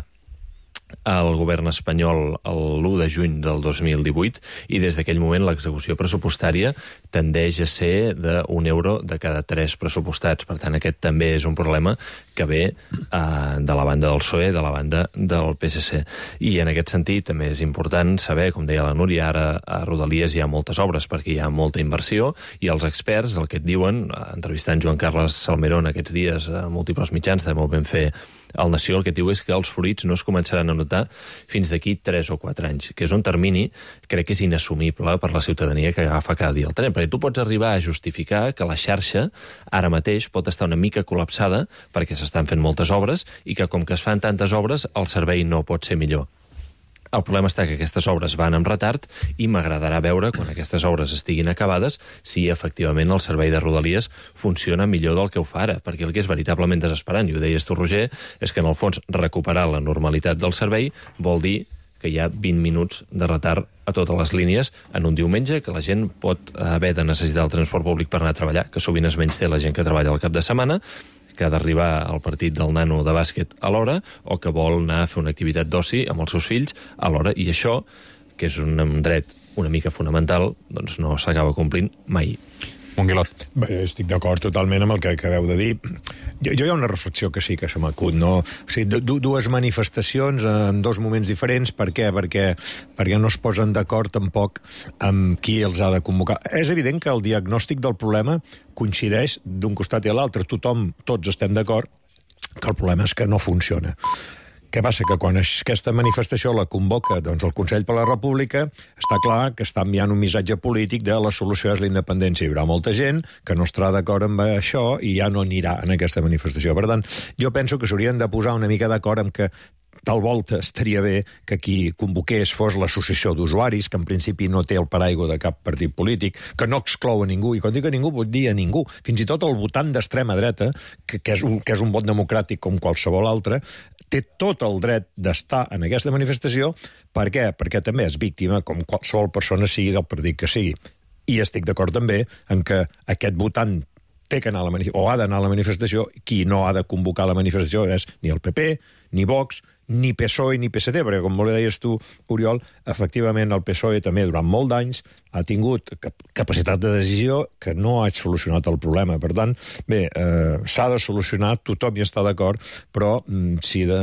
al govern espanyol l'u de juny del dos mil divuit i des d'aquell moment l'execució pressupostària tendeix a ser d'un euro de cada tres pressupostats. Per tant, aquest també és un problema que ve eh, de la banda del P S O E, de la banda del P S C. I en aquest sentit també és important saber, com deia la Núria, ara a Rodalies hi ha moltes obres perquè hi ha molta inversió i els experts el que et diuen, entrevistant Joan Carles Salmerón aquests dies a múltiples mitjans, també ho vam fer el Nació, el que diu és que els fruits no es començaran a notar fins d'aquí tres o quatre anys, que és un termini crec que és inassumible per la ciutadania que agafa cada dia el tren, perquè tu pots arribar a justificar que la xarxa ara mateix pot estar una mica col·lapsada perquè s'estan fent moltes obres i que com que es fan tantes obres el servei no pot ser millor. El problema està que aquestes obres van amb retard i m'agradarà veure, quan aquestes obres estiguin acabades, si efectivament el servei de Rodalies funciona millor del que ho fa ara, perquè el que és veritablement desesperant, i ho deies tu, Roger, és que en el fons recuperar la normalitat del servei vol dir que hi ha vint minuts de retard a totes les línies en un diumenge, que la gent pot haver de necessitar el transport públic per anar a treballar, que sovint es menysté la gent que treballa al cap de setmana, que ha d'arribar al partit del nano de bàsquet a l'hora o que vol anar a fer una activitat d'oci amb els seus fills a l'hora. I això, que és un dret una mica fonamental, doncs no s'acaba complint mai. Monguilot. Bé, estic d'acord totalment amb el que acabeu de dir. Jo, jo hi ha una reflexió que sí que se m'acut, no? O sigui, du dues manifestacions en dos moments diferents. Per què? Perquè, perquè no es posen d'acord tampoc amb qui els ha de convocar. És evident que el diagnòstic del problema coincideix d'un costat i a l'altre. Tothom, tots estem d'acord que el problema és que no funciona. Què passa? Que quan aquesta manifestació la convoca doncs, el Consell per la República, està clar que està enviant un missatge polític de la solució és la independència. Hi haurà molta gent que no estarà d'acord amb això i ja no anirà en aquesta manifestació. Per tant, jo penso que s'haurien de posar una mica d'acord amb que tal volta estaria bé que qui convoqués fos l'associació d'usuaris, que en principi no té el paraigua de cap partit polític, que no exclou a ningú, i quan dic a ningú vull dir a ningú, fins i tot el votant d'extrema dreta, que, que, és un, que és un vot democràtic com qualsevol altre, té tot el dret d'estar en aquesta manifestació. Per què? Perquè també és víctima, com qualsevol persona sigui del partit que sigui. I estic d'acord també en que aquest votant té que anar a la manifestació, o ha d'anar a la manifestació, qui no ha de convocar la manifestació és ni el P P, ni Vox, ni P S O E ni P S D, perquè, com molt deies tu, Oriol, efectivament el P S O E també durant molt d'anys ha tingut capacitat de decisió que no ha solucionat el problema. Per tant, bé, eh, s'ha de solucionar, tothom hi està d'acord, però si de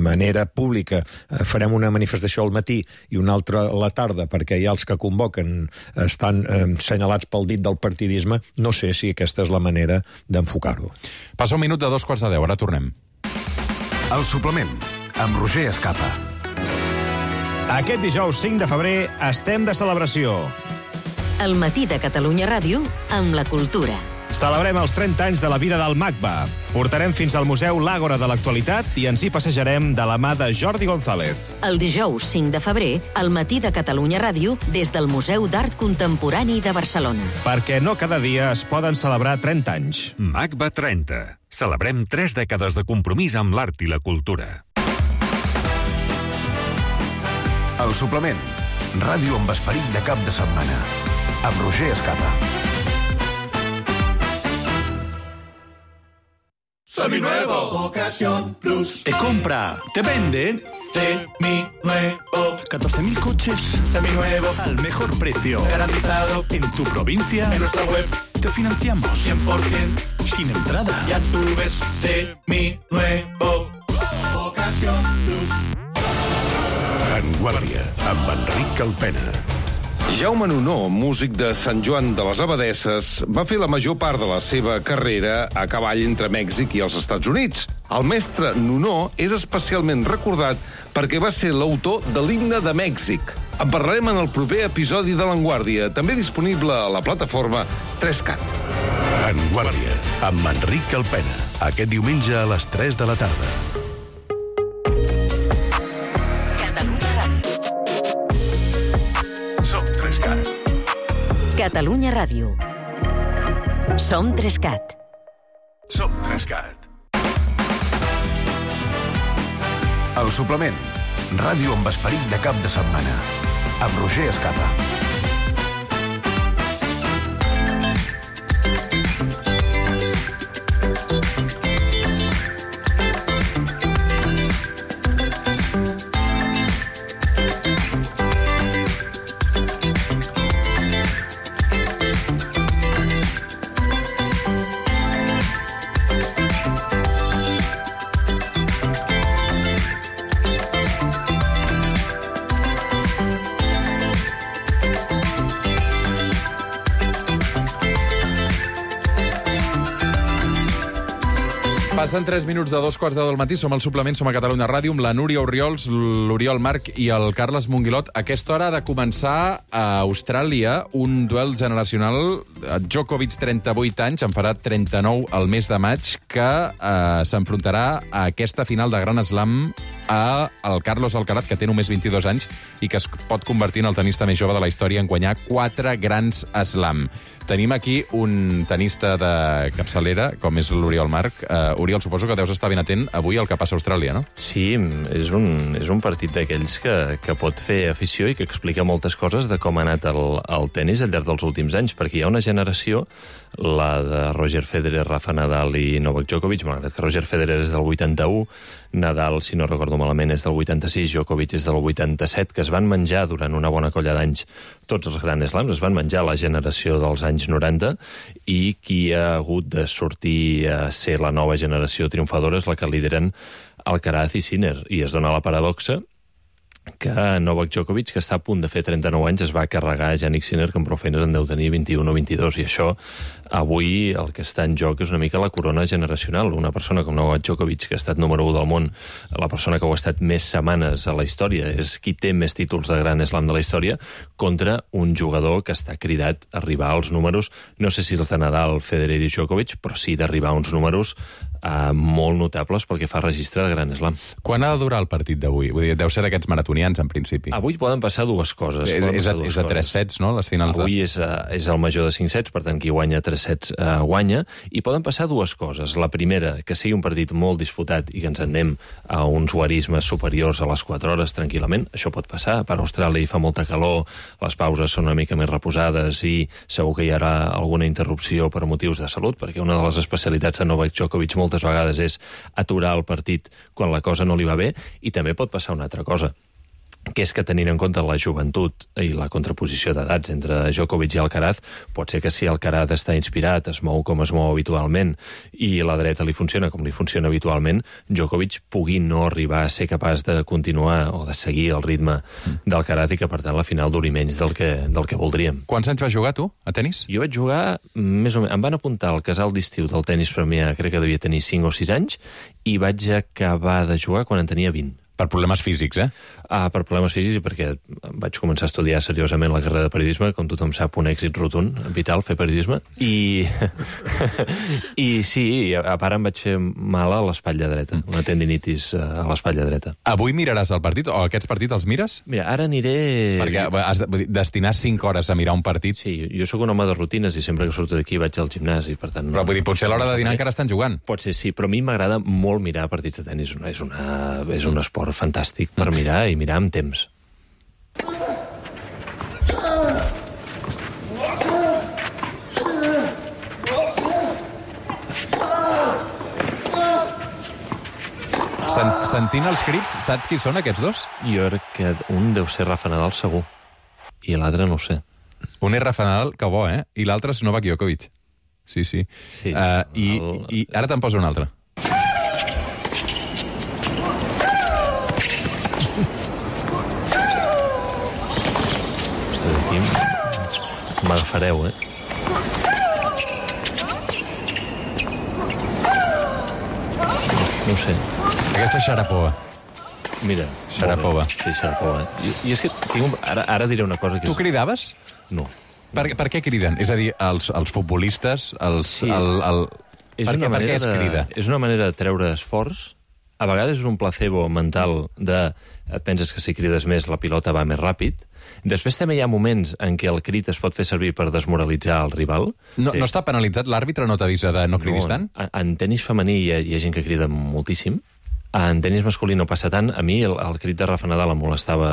manera pública farem una manifestació al matí i una altra a la tarda, perquè hi ha els que convoquen estan eh, senyalats pel dit del partidisme, no sé si aquesta és la manera d'enfocar-ho. Passa un minut de dos quarts de deu, ara tornem. El suplement, amb Roger Escapa. Aquest dijous cinc de febrer estem de celebració. El matí de Catalunya Ràdio amb la cultura. Celebrem els trenta anys de la vida del MACBA. Portarem fins al Museu l'Àgora de l'Actualitat i ens hi passejarem de la mà de Jordi González. El dijous cinc de febrer, al matí de Catalunya Ràdio, des del Museu d'Art Contemporani de Barcelona. Perquè no cada dia es poden celebrar trenta anys. MACBA trenta. Celebrem tres dècades de compromís amb l'art i la cultura. El suplement, ràdio amb esperit de cap de setmana, amb Roger Escapa. Seminuevo. Ocasión Plus. Te compra, te vende. Seminuevo. catorce mil coches. Seminuevos. Al mejor precio. Garantizado. En tu provincia. En nuestra web. Te financiamos. cien por ciento. Sin entrada. Ya tú ves. Seminuevo. Ocasión Plus. Vanguardia, amb Enric Alpena. Jaume Nunó, músic de Sant Joan de les Abadesses, va fer la major part de la seva carrera a cavall entre Mèxic i els Estats Units. El mestre Nunó és especialment recordat perquè va ser l'autor de l'himne de Mèxic. En parlarem en el proper episodi de Vanguardia, també disponible a la plataforma tres cat. Vanguardia, amb Enric Alpena. Aquest diumenge a les tres de la tarda. Catalunya Ràdio. Som tres cat. Som tres cat. El suplement, ràdio amb esperit de cap de setmana, amb Roger Escapa. Passen tres minuts de dos quarts de deu del matí, som al suplement, som a Catalunya Ràdio, amb la Núria Oriols, l'Oriol Marc i el Carles Monguilot. A aquesta hora ha de començar a Austràlia un duel generacional. Djokovic, trenta-vuit anys, en farà trenta-nou el mes de maig, que eh, s'enfrontarà a aquesta final de Gran Slam a el Carlos Alcaraz, que té només vint-i-dos anys i que es pot convertir en el tenista més jove de la història en guanyar quatre grans slam. Tenim aquí un tenista de capçalera, com és l'Oriol Marc. Uh, Oriol, suposo que deus estar ben atent avui al que passa a Austràlia, no? Sí, és un, és un partit d'aquells que, que pot fer afició i que explica moltes coses de com ha anat el, el tennis al llarg dels últims anys, perquè hi ha una generació la de Roger Federer, Rafa Nadal i Novak Djokovic, malgrat que Roger Federer és del vuitanta-u, Nadal, si no recordo malament, és del vuitanta-sis, Djokovic és del vuitanta-set, que es van menjar durant una bona colla d'anys tots els Grand Slams, es van menjar la generació dels anys noranta, i qui ha hagut de sortir a ser la nova generació triomfadora és la que lideren Alcaraz i Sinner, i es dona la paradoxa que Novak Djokovic, que està a punt de fer trenta-nou anys, es va carregar a Jannik Sinner, que amb prou feines en deu tenir vint-i-un o vint-i-dos, i això, avui, el que està en joc és una mica la corona generacional. Una persona com Novak Djokovic, que ha estat número u del món, la persona que ho ha estat més setmanes a la història, és qui té més títols de Grand Slam de la història, contra un jugador que està cridat a arribar als números, no sé si els de Nadal, Federer i Djokovic, però sí d'arribar a uns números Uh, molt notables pel que fa a registre de Grand Slam. Quan ha de durar el partit d'avui? Vull dir, deu ser d'aquests maratonians, en principi. Avui poden passar dues coses. És, és, a, és a tres sets, no?, les finals. Avui de... és, a, és el major de cinc sets, per tant, qui guanya tres sets uh, guanya, i poden passar dues coses. La primera, que sigui un partit molt disputat i que ens anem a uns guarismes superiors a les quatre hores, tranquil·lament. Això pot passar. Per Austràlia hi fa molta calor, les pauses són una mica més reposades i segur que hi haurà alguna interrupció per motius de salut, perquè una de les especialitats de Novak Djokovic moltes vegades és aturar el partit quan la cosa no li va bé, i també pot passar una altra cosa, que és que tenint en compte la joventut i la contraposició d'edats entre Djokovic i Alcaraz, pot ser que si Alcaraz està inspirat, es mou com es mou habitualment i la dreta li funciona com li funciona habitualment, Djokovic pugui no arribar a ser capaç de continuar o de seguir el ritme d'Alcaraz i que, per tant, la final duri menys del que, del que voldríem. Quants anys vas jugar, tu, a tenis? Jo vaig jugar, més o menys, em van apuntar al casal d'estiu del tenis Premià, crec que devia tenir cinc o sis anys, i vaig acabar de jugar quan en tenia vint. Per problemes físics, eh? Ah, per problemes físics i perquè vaig començar a estudiar seriosament la carrera de periodisme, com tothom sap, un èxit rotund, vital, fer periodisme, i, i sí, a part em vaig fer mal a l'espatlla dreta, una tendinitis a l'espatlla dreta. Avui miraràs el partit, o aquests partits els mires? Mira, ara aniré... Perquè has de destinar cinc hores a mirar un partit. Sí, jo sóc un home de rutines i sempre que surto d'aquí vaig al gimnàs i per tant... Però vull dir, potser a l'hora de dinar encara estan jugant. Pot ser, sí, però a mi m'agrada molt mirar partits de tenis, és, una, és un esport fantàstic per mirar i mirar amb temps. Sent, sentint els crits, saps qui són aquests dos? Jo crec que un deu ser Rafa Nadal segur, i l'altre no ho sé. Un és Rafa Nadal, que bo, eh? I l'altre és Novak Djokovic. Sí, sí. sí uh, i, el... I ara te'n poso un altre. M'agafareu, eh? No ho sé. Aquesta és Sharapova. Mira, Sharapova. Sí, Sharapova. I, i és que tinc un... ara, ara diré una cosa que... Tu és... cridaves? No. Per, per què criden? És a dir, els, els futbolistes, els... Sí, el, el... És per, una què, per què es crida? De, és una manera de treure esforç. A vegades és un placebo mental de... Et penses que si crides més la pilota va més ràpid. Després també hi ha moments en què el crit es pot fer servir per desmoralitzar el rival. No, sí. no està penalitzat? L'àrbitre no t'avisa de no cridis no, tant? En, en tenis femení hi ha, hi ha gent que crida moltíssim. En tenis masculí no passa tant. A mi el, el crit de Rafa Nadal em molestava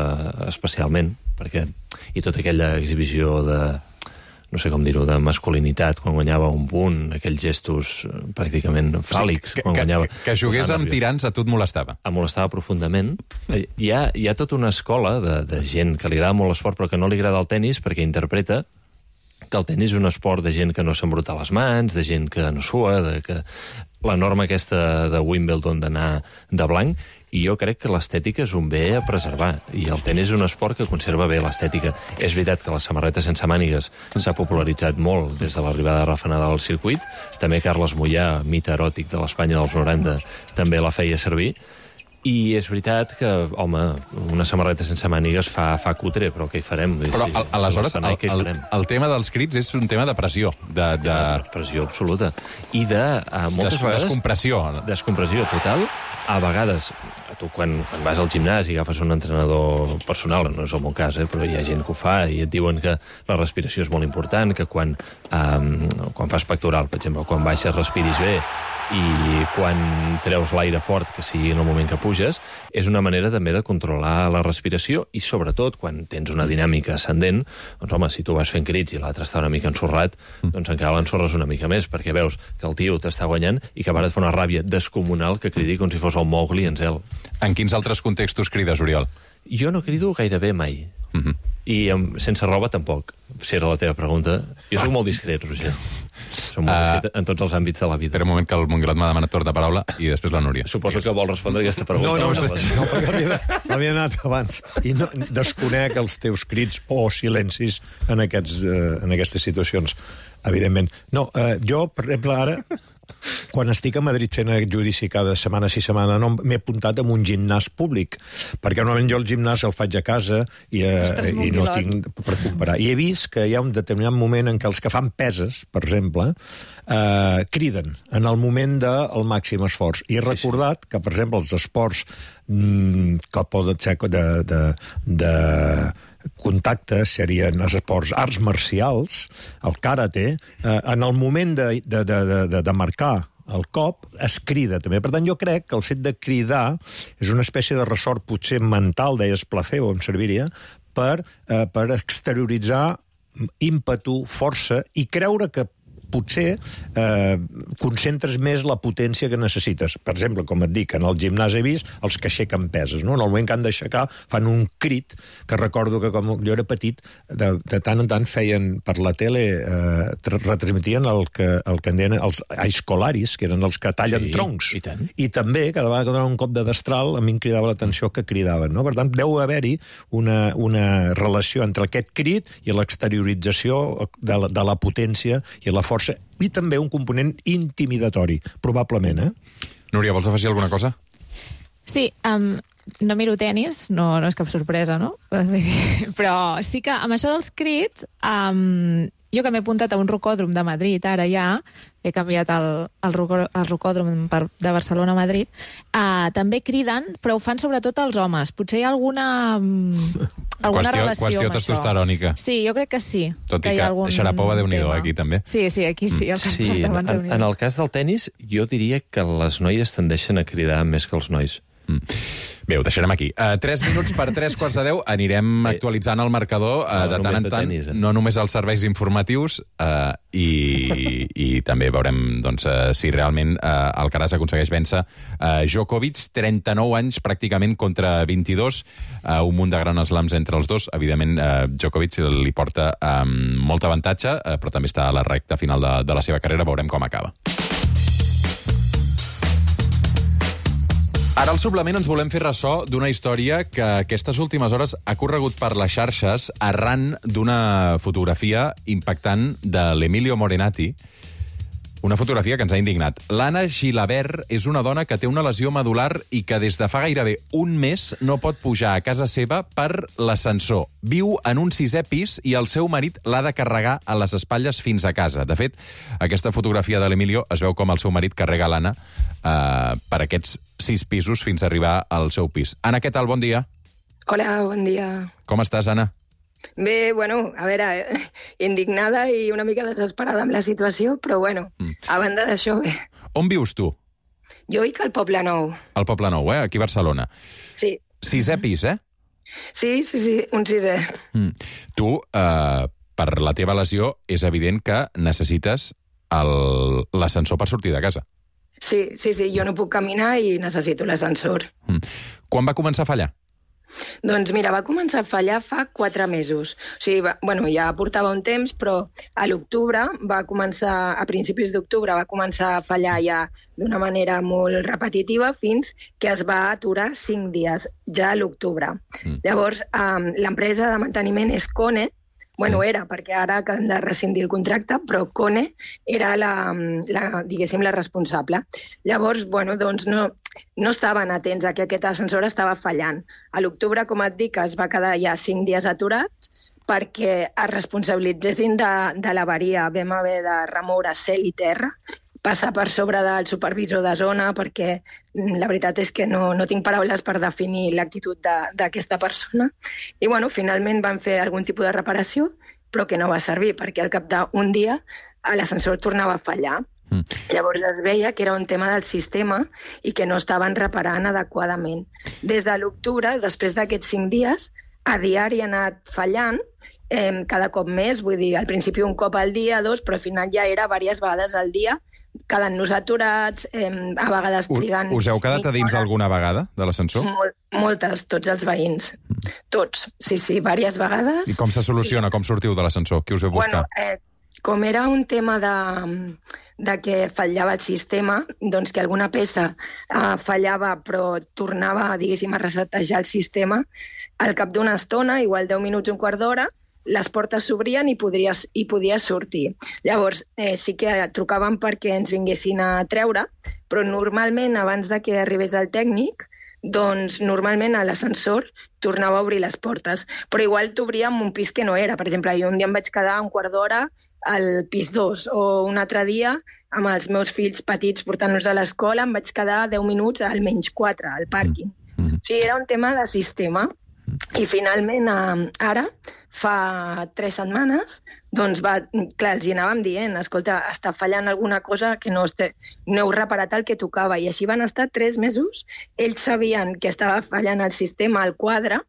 especialment, perquè i tota aquella exhibició de... no sé com dir-ho, de masculinitat, quan guanyava un punt, aquells gestos pràcticament fàl·lics. Que, quan guanyava, que, que jugués amb tirants a tu et molestava? Em molestava profundament. Hi ha, hi ha tota una escola de, de gent que li agrada molt l'esport però que no li agrada el tenis perquè interpreta que el tenis és un esport de gent que no s'embruta les mans, de gent que no sua, de que la norma aquesta de Wimbledon d'anar de blanc, i jo crec que l'estètica és un bé a preservar, i el tenis és un esport que conserva bé l'estètica. És veritat que la samarreta sense mànigues s'ha popularitzat molt des de l'arribada de Rafa Nadal al circuit, també Carles Moyà, mite eròtic de l'Espanya dels noranta, també la feia servir, i és veritat que, home, una samarreta sense mànigues fa, fa cutre, però què hi farem? Però al, aleshores el, el, el tema dels crits és un tema de pressió. De, de... de pressió absoluta. I de, uh, moltes Des, vegades... Descompressió. Descompressió total. A vegades, tu quan, quan vas al gimnàs i agafes un entrenador personal, no és el meu cas, eh, però hi ha gent que ho fa i et diuen que la respiració és molt important, que quan, um, quan fas pectoral, per exemple, quan baixes respiris bé, i quan treus l'aire fort, que sigui en el moment que puges, és una manera també de controlar la respiració i, sobretot, quan tens una dinàmica ascendent, doncs, home, si tu vas fent crits i l'altre està una mica ensorrat, doncs encara l'ensorres una mica més, perquè veus que el tio t'està guanyant i que a vegades fa una ràbia descomunal que cridi com si fos el Mowgli en zel. En quins altres contextos crides, Oriol? Jo no crido gairebé mai. Mm-hmm. I amb, sense roba tampoc, si era la teva pregunta. Jo soc molt discret, Roger. Soc molt discret uh, en tots els àmbits de la vida. Espera un moment que el Montgrot m'ha demanat torn de paraula i després la Núria. Suposo que vol respondre aquesta pregunta. No, no, no, no perquè l'havia anat abans. I no, desconec els teus crits o silencis en, aquests, uh, en aquestes situacions, evidentment. No, uh, jo, per exemple, ara... Quan estic a Madrid fent aquest judici cada setmana, sí setmana, no, m'he apuntat en un gimnàs públic, perquè normalment jo el gimnàs el faig a casa i, eh, i no tinc per comparar. I he vist que hi ha un determinat moment en què els que fan peses, per exemple, eh, criden en el moment del màxim esforç. I he recordat sí, sí. que, per exemple, els esports mm, que poden ser de... de, de contactes serien els esports arts marcials, el karate, eh, en el moment de, de, de, de, de marcar el cop es crida també. Per tant, jo crec que el fet de cridar és una espècie de ressort potser mental, deies placebo, em serviria, per, eh, per exterioritzar ímpetu, força i creure que potser eh, concentres més la potència que necessites. Per exemple, com et dic, en el gimnàs he vist els que aixequen peses, no? En el moment que han d'aixecar fan un crit, que recordo que com jo era petit, de, de tant en tant feien per la tele, eh, retransmitien el que, el que en deien els aiscolaris, que eren els que tallen sí, troncs. I, tant. I també, cada vegada que donaven un cop de destral, a mi em cridava l'atenció que cridaven, no? Per tant, deu haver-hi una, una relació entre aquest crit i l'exteriorització de la, de la potència i la força, i també un component intimidatori, probablement, eh? Núria, vols afegir alguna cosa? Sí, um, no miro tenis, no, no és cap sorpresa, no? Però sí que amb això dels crits, um, jo que m'he apuntat a un rocòdrom de Madrid, ara ja, he canviat el, el, rocò, el rocòdrom per, de Barcelona a Madrid, uh, també criden, però ho fan sobretot els homes. Potser hi ha alguna, alguna qüestió, relació qüestió amb testosterònica. això. Sí, jo crec que sí. Tot i que, que Sharapova, Déu-n'hi-do, aquí també. Sí, sí, aquí sí. El sí, en, en, en el cas del tennis, jo diria que les noies tendeixen a cridar més que els nois. Mm. Bé, ho deixarem aquí. Uh, tres minuts per tres quarts de deu. Anirem Bé, actualitzant el marcador uh, no, de tant en tant, tenis, eh? No només els serveis informatius, uh, i, i també veurem doncs, uh, si realment uh, Alcaraz aconsegueix vèncer uh, Djokovic, trenta-nou anys pràcticament contra vint-i-dos, uh, un munt de grans slams entre els dos. Evidentment, uh, Djokovic li porta um, molt avantatge, uh, però també està a la recta final de, de la seva carrera. Veurem com acaba. Ara al suplement ens volem fer ressò d'una història que aquestes últimes hores ha corregut per les xarxes arran d'una fotografia impactant de l'Emilio Morenati, una fotografia que ens ha indignat. L'Anna Gilabert és una dona que té una lesió medular i que des de fa gairebé un mes no pot pujar a casa seva per l'ascensor. Viu en un sisè pis i el seu marit l'ha de carregar a les espatlles fins a casa. De fet, aquesta fotografia de l'Emilio es veu com el seu marit carrega l'Anna eh, per aquests sis pisos fins a arribar al seu pis. Anna, què tal? Bon dia. Hola, bon dia. Com estàs, Anna? Bé, bueno, a veure, eh, indignada i una mica desesperada amb la situació, però bueno, mm. a banda d'això, bé. On vius tu? Jo vic al Poble Nou. Al Poble Nou, eh? Aquí a Barcelona. Sí. Sisè pis, eh? Sí, sí, sí, un sisè. Mm. Tu, eh, per la teva lesió, és evident que necessites l'ascensor per sortir de casa. Sí, sí, sí, jo no puc caminar i necessito l'ascensor. Mm. Quan va començar a fallar? Doncs mira, va començar a fallar fa quatre mesos. O sigui, va, bueno, ja portava un temps, però a l'octubre va començar, a principis d'octubre va començar a fallar ja d'una manera molt repetitiva fins que es va aturar cinc dies, ja a l'octubre. Mm. Llavors, um, l'empresa de manteniment és Kone. Bueno, era, perquè ara acaben de rescindir el contracte, però Kone era la, la, diguéssim, la responsable. Llavors, bueno, doncs no, no estaven atents a que aquest ascensor estava fallant. A l'octubre, com et dic, es va quedar ja cinc dies aturats perquè es responsabilitzessin de, de l'avaria. Vam haver de remoure cel i terra, passar per sobre del supervisor de zona, perquè la veritat és que no, no tinc paraules per definir l'actitud d'aquesta persona. I bueno, finalment van fer algun tipus de reparació, però que no va servir, perquè al cap d'un dia l'ascensor tornava a fallar. Mm. Llavors es veia que era un tema del sistema i que no estaven reparant adequadament. Des de l'octubre, després d'aquests cinc dies, a diari ha anat fallant, eh, cada cop més, vull dir, al principi un cop al dia, dos, però al final ja era diverses vegades al dia, quedant-nos aturats, eh, a vegades trigant... Us heu quedat a dins alguna vegada de l'ascensor? Mol, moltes, tots els veïns. Mm. Tots, sí, sí, diverses vegades. I com se soluciona? I... Com sortiu de l'ascensor? Qui us veu buscar? Bueno, eh, com era un tema de, de que fallava el sistema, doncs que alguna peça eh, fallava però tornava, diguéssim, a resetejar el sistema, al cap d'una estona, igual deu minuts, un quart d'hora, les portes s'obrien i, podries, i podies sortir. Llavors, eh, sí que trucaven perquè ens vinguessin a treure, però normalment, abans de que arribés el tècnic, doncs normalment a l'ascensor tornava a obrir les portes, però igual t'obria en un pis que no era. Per exemple, jo un dia em vaig quedar un quart d'hora al pis dos, o un altre dia amb els meus fills petits portant-los a l'escola em vaig quedar deu minuts, almenys quatre, al pàrquing. Mm. O sigui, era un tema de sistema. I finalment, ara, fa tres setmanes, doncs va, clar, els hi anàvem dient, escolta, està fallant alguna cosa que no, este, no heu reparat el que tocava, i així van estar tres mesos. Ells sabien que estava fallant el sistema, el quadre,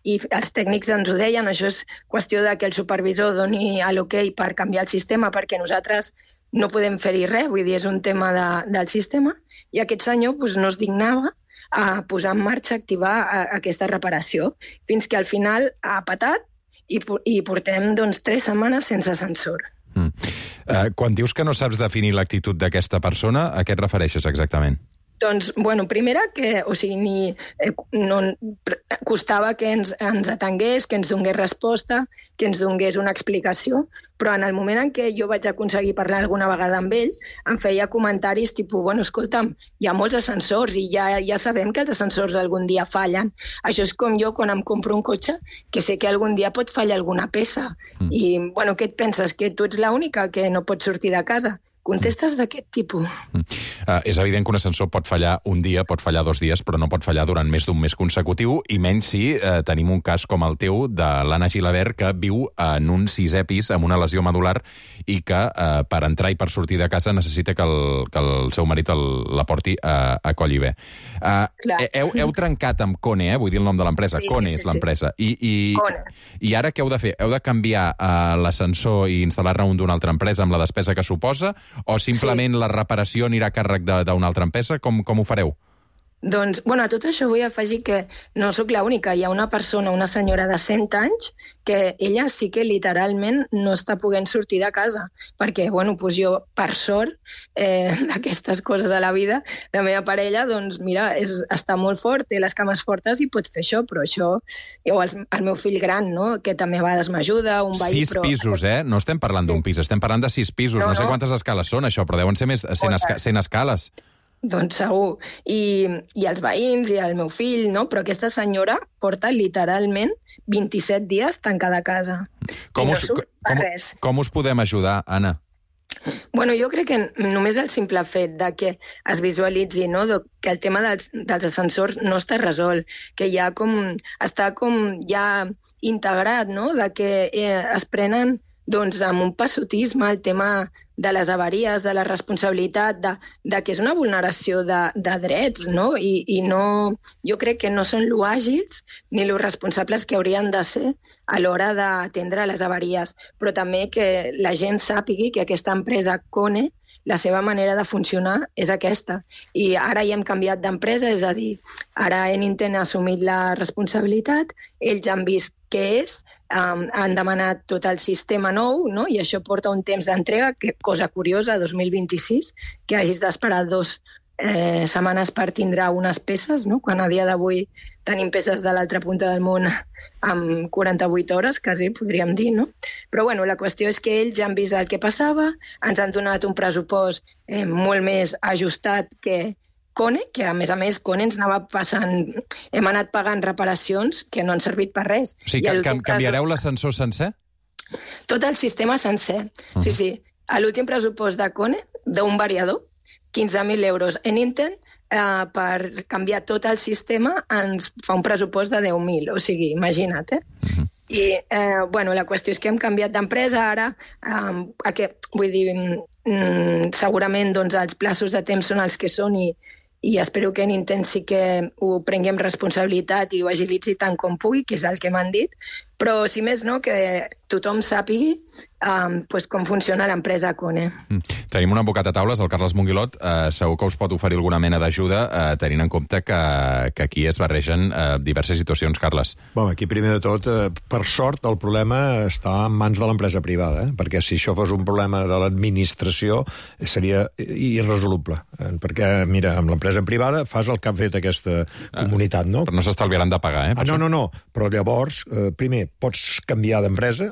i els tècnics ens ho deien, això és qüestió de que el supervisor doni l'ok per canviar el sistema, perquè nosaltres no podem fer-hi res, vull dir, és un tema de, del sistema, i aquest senyor doncs, no es dignava a posar en marxa, activar a, a aquesta reparació, fins que al final ha patat i, i portem doncs, tres setmanes sense ascensor. Mm. Uh, quan dius que no saps definir l'actitud d'aquesta persona, a què et refereixes exactament? Doncs, bueno, primera, que, o sigui, ni, eh, no, costava que ens, ens atengués, que ens donés resposta, que ens donés una explicació, però en el moment en què jo vaig aconseguir parlar alguna vegada amb ell, em feia comentaris tipus, bueno, escolta'm, hi ha molts ascensors i ja, ja sabem que els ascensors algun dia fallen. Això és com jo quan em compro un cotxe, que sé que algun dia pot fallar alguna peça. Mm. I, bueno, què et penses? Que tu ets l'única que no pots sortir de casa? Contestes d'aquest tipus. Mm. Uh, és evident que un ascensor pot fallar un dia, pot fallar dos dies, però no pot fallar durant més d'un mes consecutiu, i menys si uh, tenim un cas com el teu de l'Anna Gilabert, que viu en un sisè pis amb una lesió medular i que uh, per entrar i per sortir de casa necessita que el, que el seu marit el, la porti a, a coll i bé. Uh, heu, heu trencat amb Kone, eh? Vull dir el nom de l'empresa. Sí, Kone sí, és l'empresa. I, i, I ara què heu de fer? Heu de canviar uh, l'ascensor i instal·lar-ne un d'una altra empresa amb la despesa que suposa? O simplement sí. La reparació anirà a càrrec d'una altra empresa? Com, com ho fareu? Doncs, bueno, a tot això vull afegir que no sóc l'única. Hi ha una persona, una senyora de cent anys, que ella sí que literalment no està podent sortir de casa. Perquè, bueno, doncs jo, per sort, eh, d'aquestes coses de la vida, la meva parella, doncs, mira, és, està molt fort, té les cames fortes i pot fer això, però això... O el, el meu fill gran, no?, que també a vegades m'ajuda, un veí... Sis però... pisos, eh? No estem parlant sí. d'un pis, estem parlant de sis pisos. No, no sé no. quantes escales són, això, però deuen ser més cent, esca cent escales. Doncs segur. I, I els veïns i el meu fill, no? Però aquesta senyora porta literalment vint-i-set dies tancada a casa. Com, I us, no surt com, res. Com us podem ajudar, Anna? Bueno, jo crec que només el simple fet de que es visualitzi, no?, que el tema dels, dels ascensors no està resolt, que ja com, està com ja integrat, no?, de que eh, es prenen doncs, amb un passotisme el tema de les avaries, de la responsabilitat, de, de que és una vulneració de, de drets, no? I, i no, jo crec que no són lo àgils ni lo responsables que haurien de ser a l'hora d'atendre les avaries, però també que la gent sàpigui que aquesta empresa Kone, la seva manera de funcionar és aquesta. I ara ja hem canviat d'empresa, és a dir, ara Enitent ha assumit la responsabilitat, ells han vist què és, um, han demanat tot el sistema nou, no? I això porta un temps d'entrega, que cosa curiosa, dos mil vint-i-sis, que hagis d'esperar dos eh, setmanes per tindre unes peces, no? Quan a dia d'avui tenim peces de l'altra punta del món amb quaranta-vuit hores, quasi podríem dir, no? Però bueno, la qüestió és que ells ja han vist el que passava, ens han donat un pressupost eh, molt més ajustat que Kone, que a més a més Kone ens anava passant, hem anat pagant reparacions que no han servit per res. O sigui, que, canviareu l'ascensor sencer? Tot el sistema sencer, uh-huh. sí, sí. A l'últim pressupost de Kone, d'un variador, quinze mil euros. Enitent, eh, per canviar tot el sistema, ens fa un pressupost de deu mil. O sigui, imagina't, eh? Uh-huh. I, eh, bueno, la qüestió és que hem canviat d'empresa ara, eh, aquest, vull dir, mm, segurament doncs, els plaços de temps són els que són i, i espero que Nintendo sí que ho prenguem responsabilitat i ho agilitzi tant com pugui, que és el que m'han dit, però, si més no, que tothom sàpigui um, pues, com funciona l'empresa Kone. Mm. Tenim un advocat a taules, el Carles Monguilot, eh, segur que us pot oferir alguna mena d'ajuda, eh, tenint en compte que, que aquí es barregen eh, diverses situacions, Carles. Bon, aquí, primer de tot, eh, per sort, el problema està en mans de l'empresa privada, eh? Perquè si això fos un problema de l'administració, seria irresoluble. Eh? Perquè, mira, amb l'empresa privada fas el que ha fet aquesta comunitat, no? Però no s'estalviaran de pagar, eh? Ah, no, no, no, però llavors, eh, primer, pots canviar d'empresa,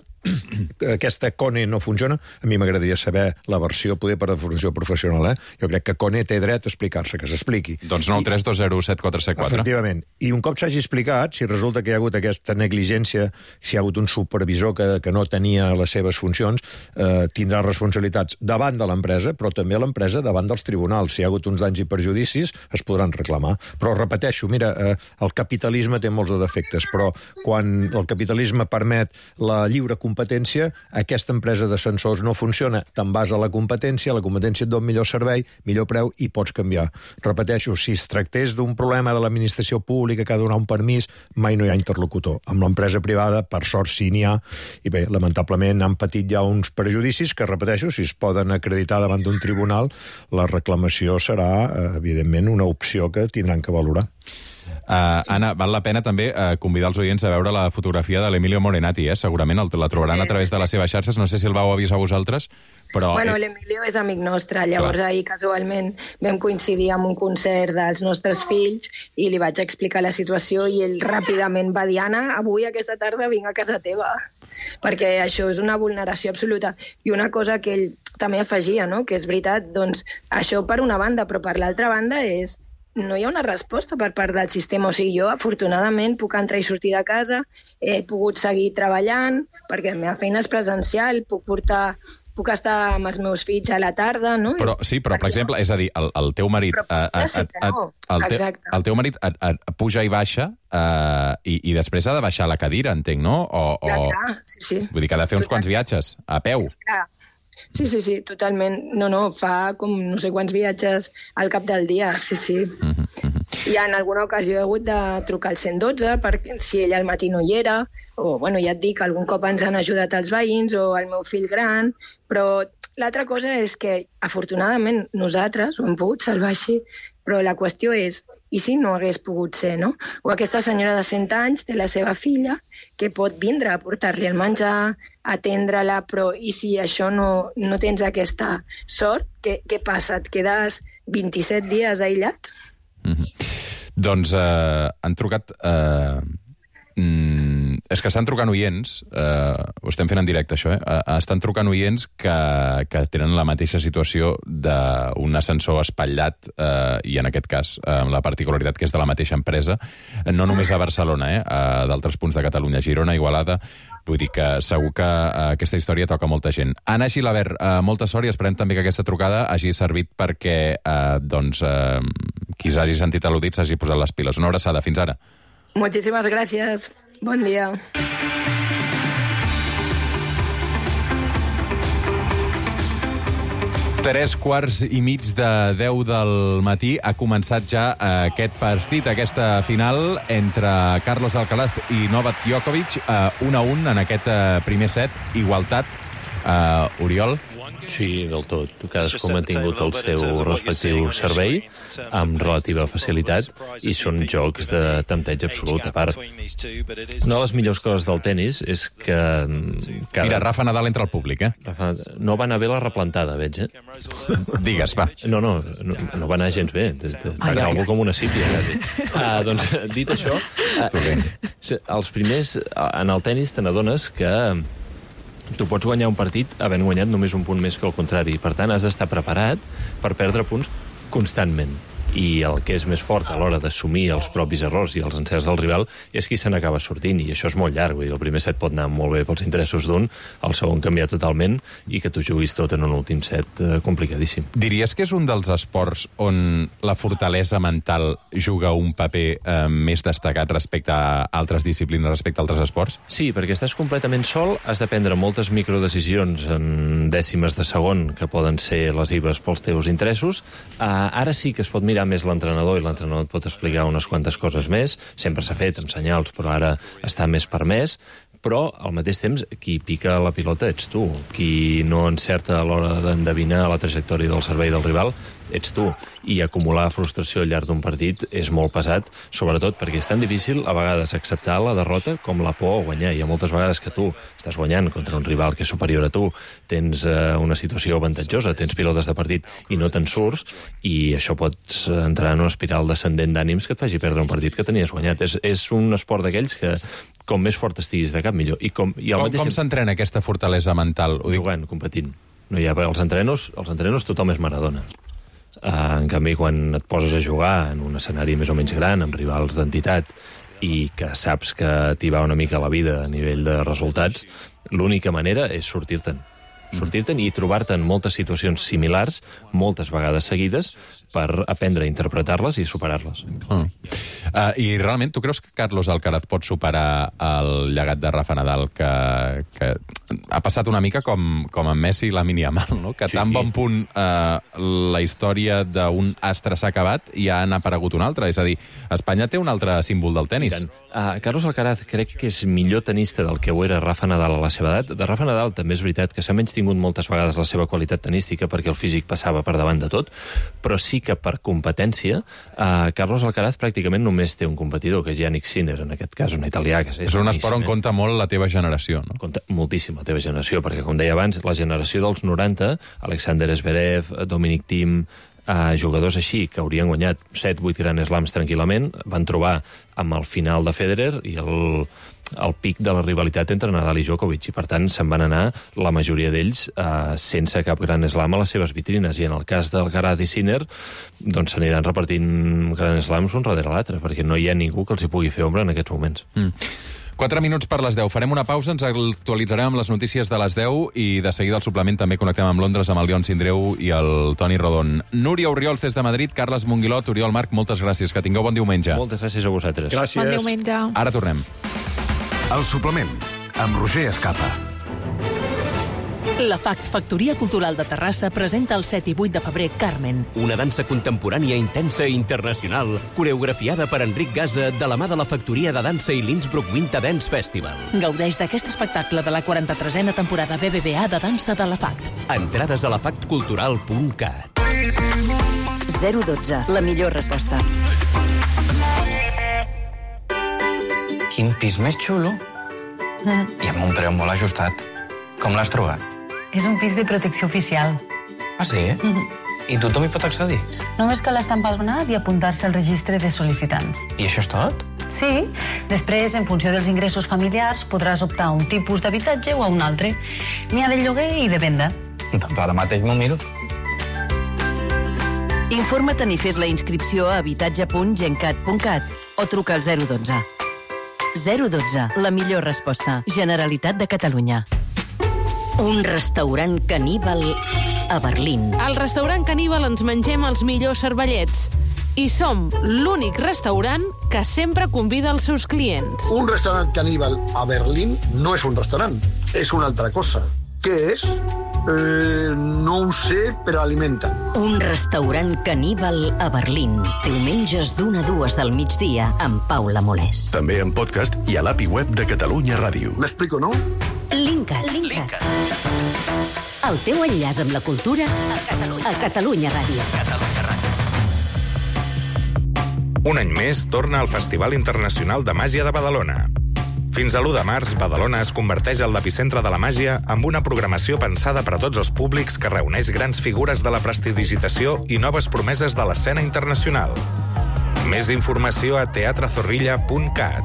aquesta Kone no funciona, a mi m'agradaria saber la versió, poder per definició professional, eh? Jo crec que Kone té dret a explicar-se, que s'expliqui. Doncs nou tres dos zero set quatre set quatre. Efectivament. I un cop s'hagi explicat, si resulta que hi ha hagut aquesta negligència, si hi ha hagut un supervisor que, que no tenia les seves funcions, eh, tindrà responsabilitats davant de l'empresa, però també l'empresa davant dels tribunals. Si hi ha hagut uns danys i perjudicis, es podran reclamar. Però repeteixo, mira, eh, el capitalisme té molts de defectes, però quan el capitalisme permet la lliure competència, aquesta empresa d'ascensors no funciona. Te'n vas a la competència, la competència et dona millor servei, millor preu i pots canviar. Repeteixo, si es tractés d'un problema de l'administració pública que ha de donar un permís, mai no hi ha interlocutor. Amb l'empresa privada, per sort, sí n'hi ha. I bé, lamentablement han patit ja uns prejudicis que, repeteixo, si es poden acreditar davant d'un tribunal, la reclamació serà, evidentment, una opció que tindran que valorar. Uh, Anna, val la pena també uh, convidar els oients a veure la fotografia de l'Emilio Morenati, eh? Segurament el, la trobaran sí, a través sí, sí. de les seves xarxes. No sé si el vau avisar vosaltres, però... Bueno, l'Emilio és amic nostre. Llavors, clar, ahir casualment vam coincidir amb un concert dels nostres fills i li vaig explicar la situació i ell ràpidament va dir: Anna, avui aquesta tarda vinc a casa teva, perquè això és una vulneració absoluta. I una cosa que ell també afegia, no?, que és veritat, doncs això per una banda, però per l'altra banda és no hi ha una resposta per part del sistema. O sigui, jo, afortunadament, puc entrar i sortir de casa, he pogut seguir treballant, perquè la meva feina és presencial, puc portar... puc estar amb els meus fills a la tarda, no? Però, sí, però, per exemple, és a dir, el, el teu marit... Però a, a, sí que no. El, te, el teu marit a, a, puja i baixa uh, i, i després ha de baixar la cadira, entenc, no? O, o... Ja, clar, sí, sí. Vull dir que ha de fer uns quants viatges, a peu. Clar. Sí, sí, sí, totalment. No, no, fa com no sé quants viatges al cap del dia, sí, sí. Uh-huh, uh-huh. I en alguna ocasió he hagut de trucar al cent dotze perquè si ella al matí no hi era, o, bueno, ja et dic, algun cop ens han ajudat els veïns o el meu fill gran, però l'altra cosa és que, afortunadament, nosaltres ho hem pogut salvar així, però la qüestió és, i si no hagués pogut ser, no? O aquesta senyora de cent anys té la seva filla que pot vindre a portar-li el menjar, atendre-la, però i si això no, no tens aquesta sort, què, què passa? Et quedes vint-i-set dies aïllat? Mm-hmm. Doncs eh, han trucat... Eh, mm, és que estan trucant oients, eh, ho estem fent en directe això, eh? Estan trucant oients que, que tenen la mateixa situació d'un ascensor espatllat, eh, i en aquest cas eh, la particularitat que és de la mateixa empresa, no només a Barcelona, eh, a d'altres punts de Catalunya, Girona, Igualada. Vull dir que segur que eh, aquesta història toca molta gent. Anna Gilabert, eh, molta sort i esperem també que aquesta trucada hagi servit perquè eh, doncs, eh, qui s'hagi sentit al·ludit s'hagi posat les piles. Una abraçada. Fins ara. Moltíssimes gràcies. Bon dia. Tres quarts i mig de deu del matí ha començat ja aquest partit, aquesta final entre Carlos Alcaraz i Novak Djokovic, un a un en aquest primer set, igualtat. Uh, Oriol? Sí, del tot. Cadascú ha mantingut el seu respectiu servei amb relativa facilitat i són jocs de tempteig absolut. A part, una de les millors coses del tennis és que... Cada... Mira, Rafa Nadal entra al públic, eh? Rafa... No va anar bé la replantada, veig, eh? Digues, va. No, no, no, no va anar gens bé. Va anar algú com una sípia, quasi. Ah, doncs, dit això, uh, els primers, en el tennis te n'adones que tu pots guanyar un partit havent guanyat només un punt més que el contrari. Per tant, has d'estar preparat per perdre punts constantment. i el que és més fort a l'hora d'assumir els propis errors i els encerts del rival és qui se n'acaba sortint, i això és molt llarg. Vull dir, el primer set pot anar molt bé pels interessos d'un, el segon canviar totalment, i que tu juguis tot en un últim set eh, complicadíssim. Diries que és un dels esports on la fortalesa mental juga un paper eh, més destacat respecte a altres disciplines, respecte a altres esports? Sí, perquè estàs completament sol, has de prendre moltes microdecisions en dècimes de segon que poden ser lesives pels teus interessos. Uh, ara sí que es pot mirar més l'entrenador, i l'entrenador et pot explicar unes quantes coses més. Sempre s'ha fet amb senyals, però ara està més permès. Però, al mateix temps, qui pica la pilota ets tu. Qui no encerta a l'hora d'endevinar la trajectòria del servei del rival ets tu. I acumular frustració al llarg d'un partit és molt pesat, sobretot perquè és tan difícil a vegades acceptar la derrota com la por a guanyar. Hi ha moltes vegades que tu estàs guanyant contra un rival que és superior a tu, tens eh, una situació avantatjosa, tens pilotes de partit i no te'n surts, i això pots entrar en una espiral descendent d'ànims que et faci perdre un partit que tenies guanyat. És, és un esport d'aquells que com més fort estiguis de cap, millor. I com, i com, mateix... com s'entrena aquesta fortalesa mental? Ho dic... Jugant, competint. No hi ha... Els entrenos, els entrenos tothom és Maradona. Uh, en canvi, quan et poses a jugar en un escenari més o menys gran, amb rivals d'entitat, i que saps que t'hi va una mica la vida a nivell de resultats, l'única manera és sortir-te'n. sortir-te'n i trobar-te en moltes situacions similars, moltes vegades seguides, per aprendre a interpretar-les i superar-les. Mm. Uh, I realment, tu creus que Carlos Alcaraz pot superar el llegat de Rafa Nadal, que, que ha passat una mica com, com amb Messi i Lamine Yamal, no? Que sí. Tan bon punt uh, la història d'un astre s'ha acabat i ja n'ha aparegut un altre. És a dir, Espanya té un altre símbol del tenis. Uh, Carlos Alcaraz crec que és millor tenista del que ho era Rafa Nadal a la seva edat. De Rafa Nadal també és veritat que s'ha menys tingut moltes vegades la seva qualitat tenística perquè el físic passava per davant de tot, però sí que per competència, uh, Carlos Alcaraz pràcticament només té un competidor, que és Yannick Sinner, en aquest cas, un italià. Que és, és un esport on compta molt la teva generació, no? Compta moltíssim la teva generació, perquè, com deia abans, la generació dels noranta, Alexander Zverev, Dominic Thiem, uh, jugadors així, que haurien guanyat set vuit Grand Slams tranquil·lament, van trobar amb el final de Federer i el... el pic de la rivalitat entre Nadal i Djokovic, i per tant se'n van anar la majoria d'ells eh, sense cap gran slam a les seves vitrines, i en el cas d'Alcaraz i Sinner doncs s'aniran repartint gran slams un darrere l'altre, perquè no hi ha ningú que els hi pugui fer ombra en aquests moments. Mm. Quatre minuts per les deu. Farem una pausa, ens actualitzarem amb les notícies de les deu i de seguida al suplement també connectem amb Londres amb el Leon Sindreu i el Toni Rodon. Núria Oriols des de Madrid, Carles Monguilot, Oriol Marc, moltes gràcies. Que tingueu bon diumenge. Moltes gràcies a vosaltres. Gràcies. Bon diumenge. Ara tornem. El suplement, amb Roger Escapa. La F A C, Factoria Cultural de Terrassa, presenta el set i vuit de febrer Carmen. Una dansa contemporània intensa i internacional, coreografiada per Enric Gasa de la mà de la Factoria de Dansa i l'Innsbruck Winter Dance Festival. Gaudeix d'aquest espectacle de la quaranta-tresena temporada B B V A de dansa de la F A C. Entrades a la factcultural punt cat. zero dotze, la millor resposta. Quin pis més xulo. Mm. I amb un preu molt ajustat. Com l'has trobat? És un pis de protecció oficial. Ah, sí? Mm-hmm. I tothom hi pot accedir? Només cal estar empadronat i apuntar-se al registre de sol·licitants. I això és tot? Sí. Després, en funció dels ingressos familiars, podràs optar a un tipus d'habitatge o a un altre. N'hi ha de lloguer i de venda. Doncs ara mateix m'ho miro. Informa't i fes la inscripció a habitatge punt gencat punt cat o truca al zero dotze. zero dotze, la millor resposta. Generalitat de Catalunya. Un restaurant caníbal a Berlín. Al restaurant caníbal ens mengem els millors cervellets. I som l'únic restaurant que sempre convida els seus clients. Un restaurant caníbal a Berlín no és un restaurant, és una altra cosa. Què és? Eh, no ho sé, però alimenta. Un restaurant caníbal a Berlín. Diumenges d'una a dues del migdia amb Paula Molés. També en podcast i a l'API web de Catalunya Ràdio. M'explico, no? Linkat. Linkat. El teu enllaç amb la cultura a Catalunya, a Catalunya Ràdio. Catalunya Ràdio. Un any més torna al Festival Internacional de Màgia de Badalona. Fins a l'u de març, Badalona es converteix en l'epicentre de la màgia amb una programació pensada per a tots els públics que reuneix grans figures de la prestidigitació i noves promeses de l'escena internacional. Més informació a teatre zorrilla punt cat.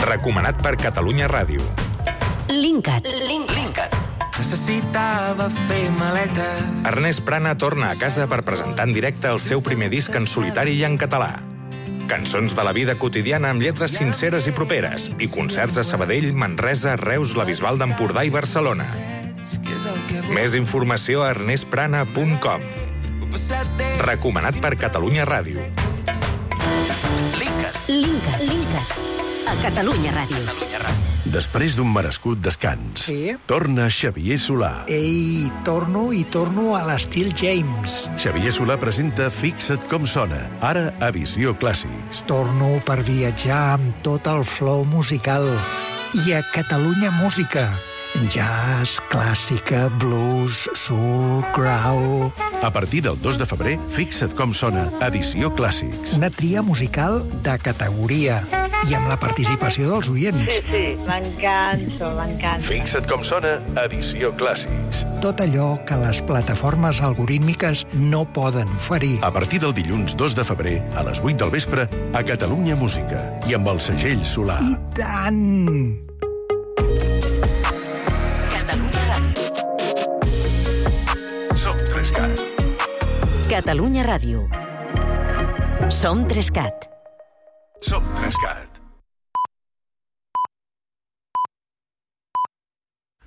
Recomanat per Catalunya Ràdio. Linkat. Linkat. necessitava fer maleta. Ernest Prana torna a casa per presentar en directe el seu primer disc en solitari i en català. Cançons de la vida quotidiana amb lletres sinceres i properes i concerts a Sabadell, Manresa, Reus, la Bisbal d'Empordà i Barcelona. Més informació a ernest prana punt com. Recomanat per Catalunya Ràdio. Linka, Linka. A Catalunya Ràdio. Després d'un merescut descans, sí? Torna Xavier Solà. Ei, torno i torno a l'estil James. Xavier Solà presenta Fixa't com sona, ara a Visió Clàssics. Torno per viatjar amb tot el flow musical. I a Catalunya Música. Jazz, clàssica, blues, soul, grau... A partir del dos de febrer, Fixa't com sona, edició Clàssics. Una tria musical de categoria i amb la participació dels oients. Sí, sí, m'encanto, m'encanto. Fixa't com sona, edició Clàssics. Tot allò que les plataformes algorítmiques no poden oferir. A partir del dilluns dos de febrer, a les vuit del vespre, a Catalunya Música i amb el segell Solà. I tant! Catalunya Ràdio. Som tres cat. Som tres cat.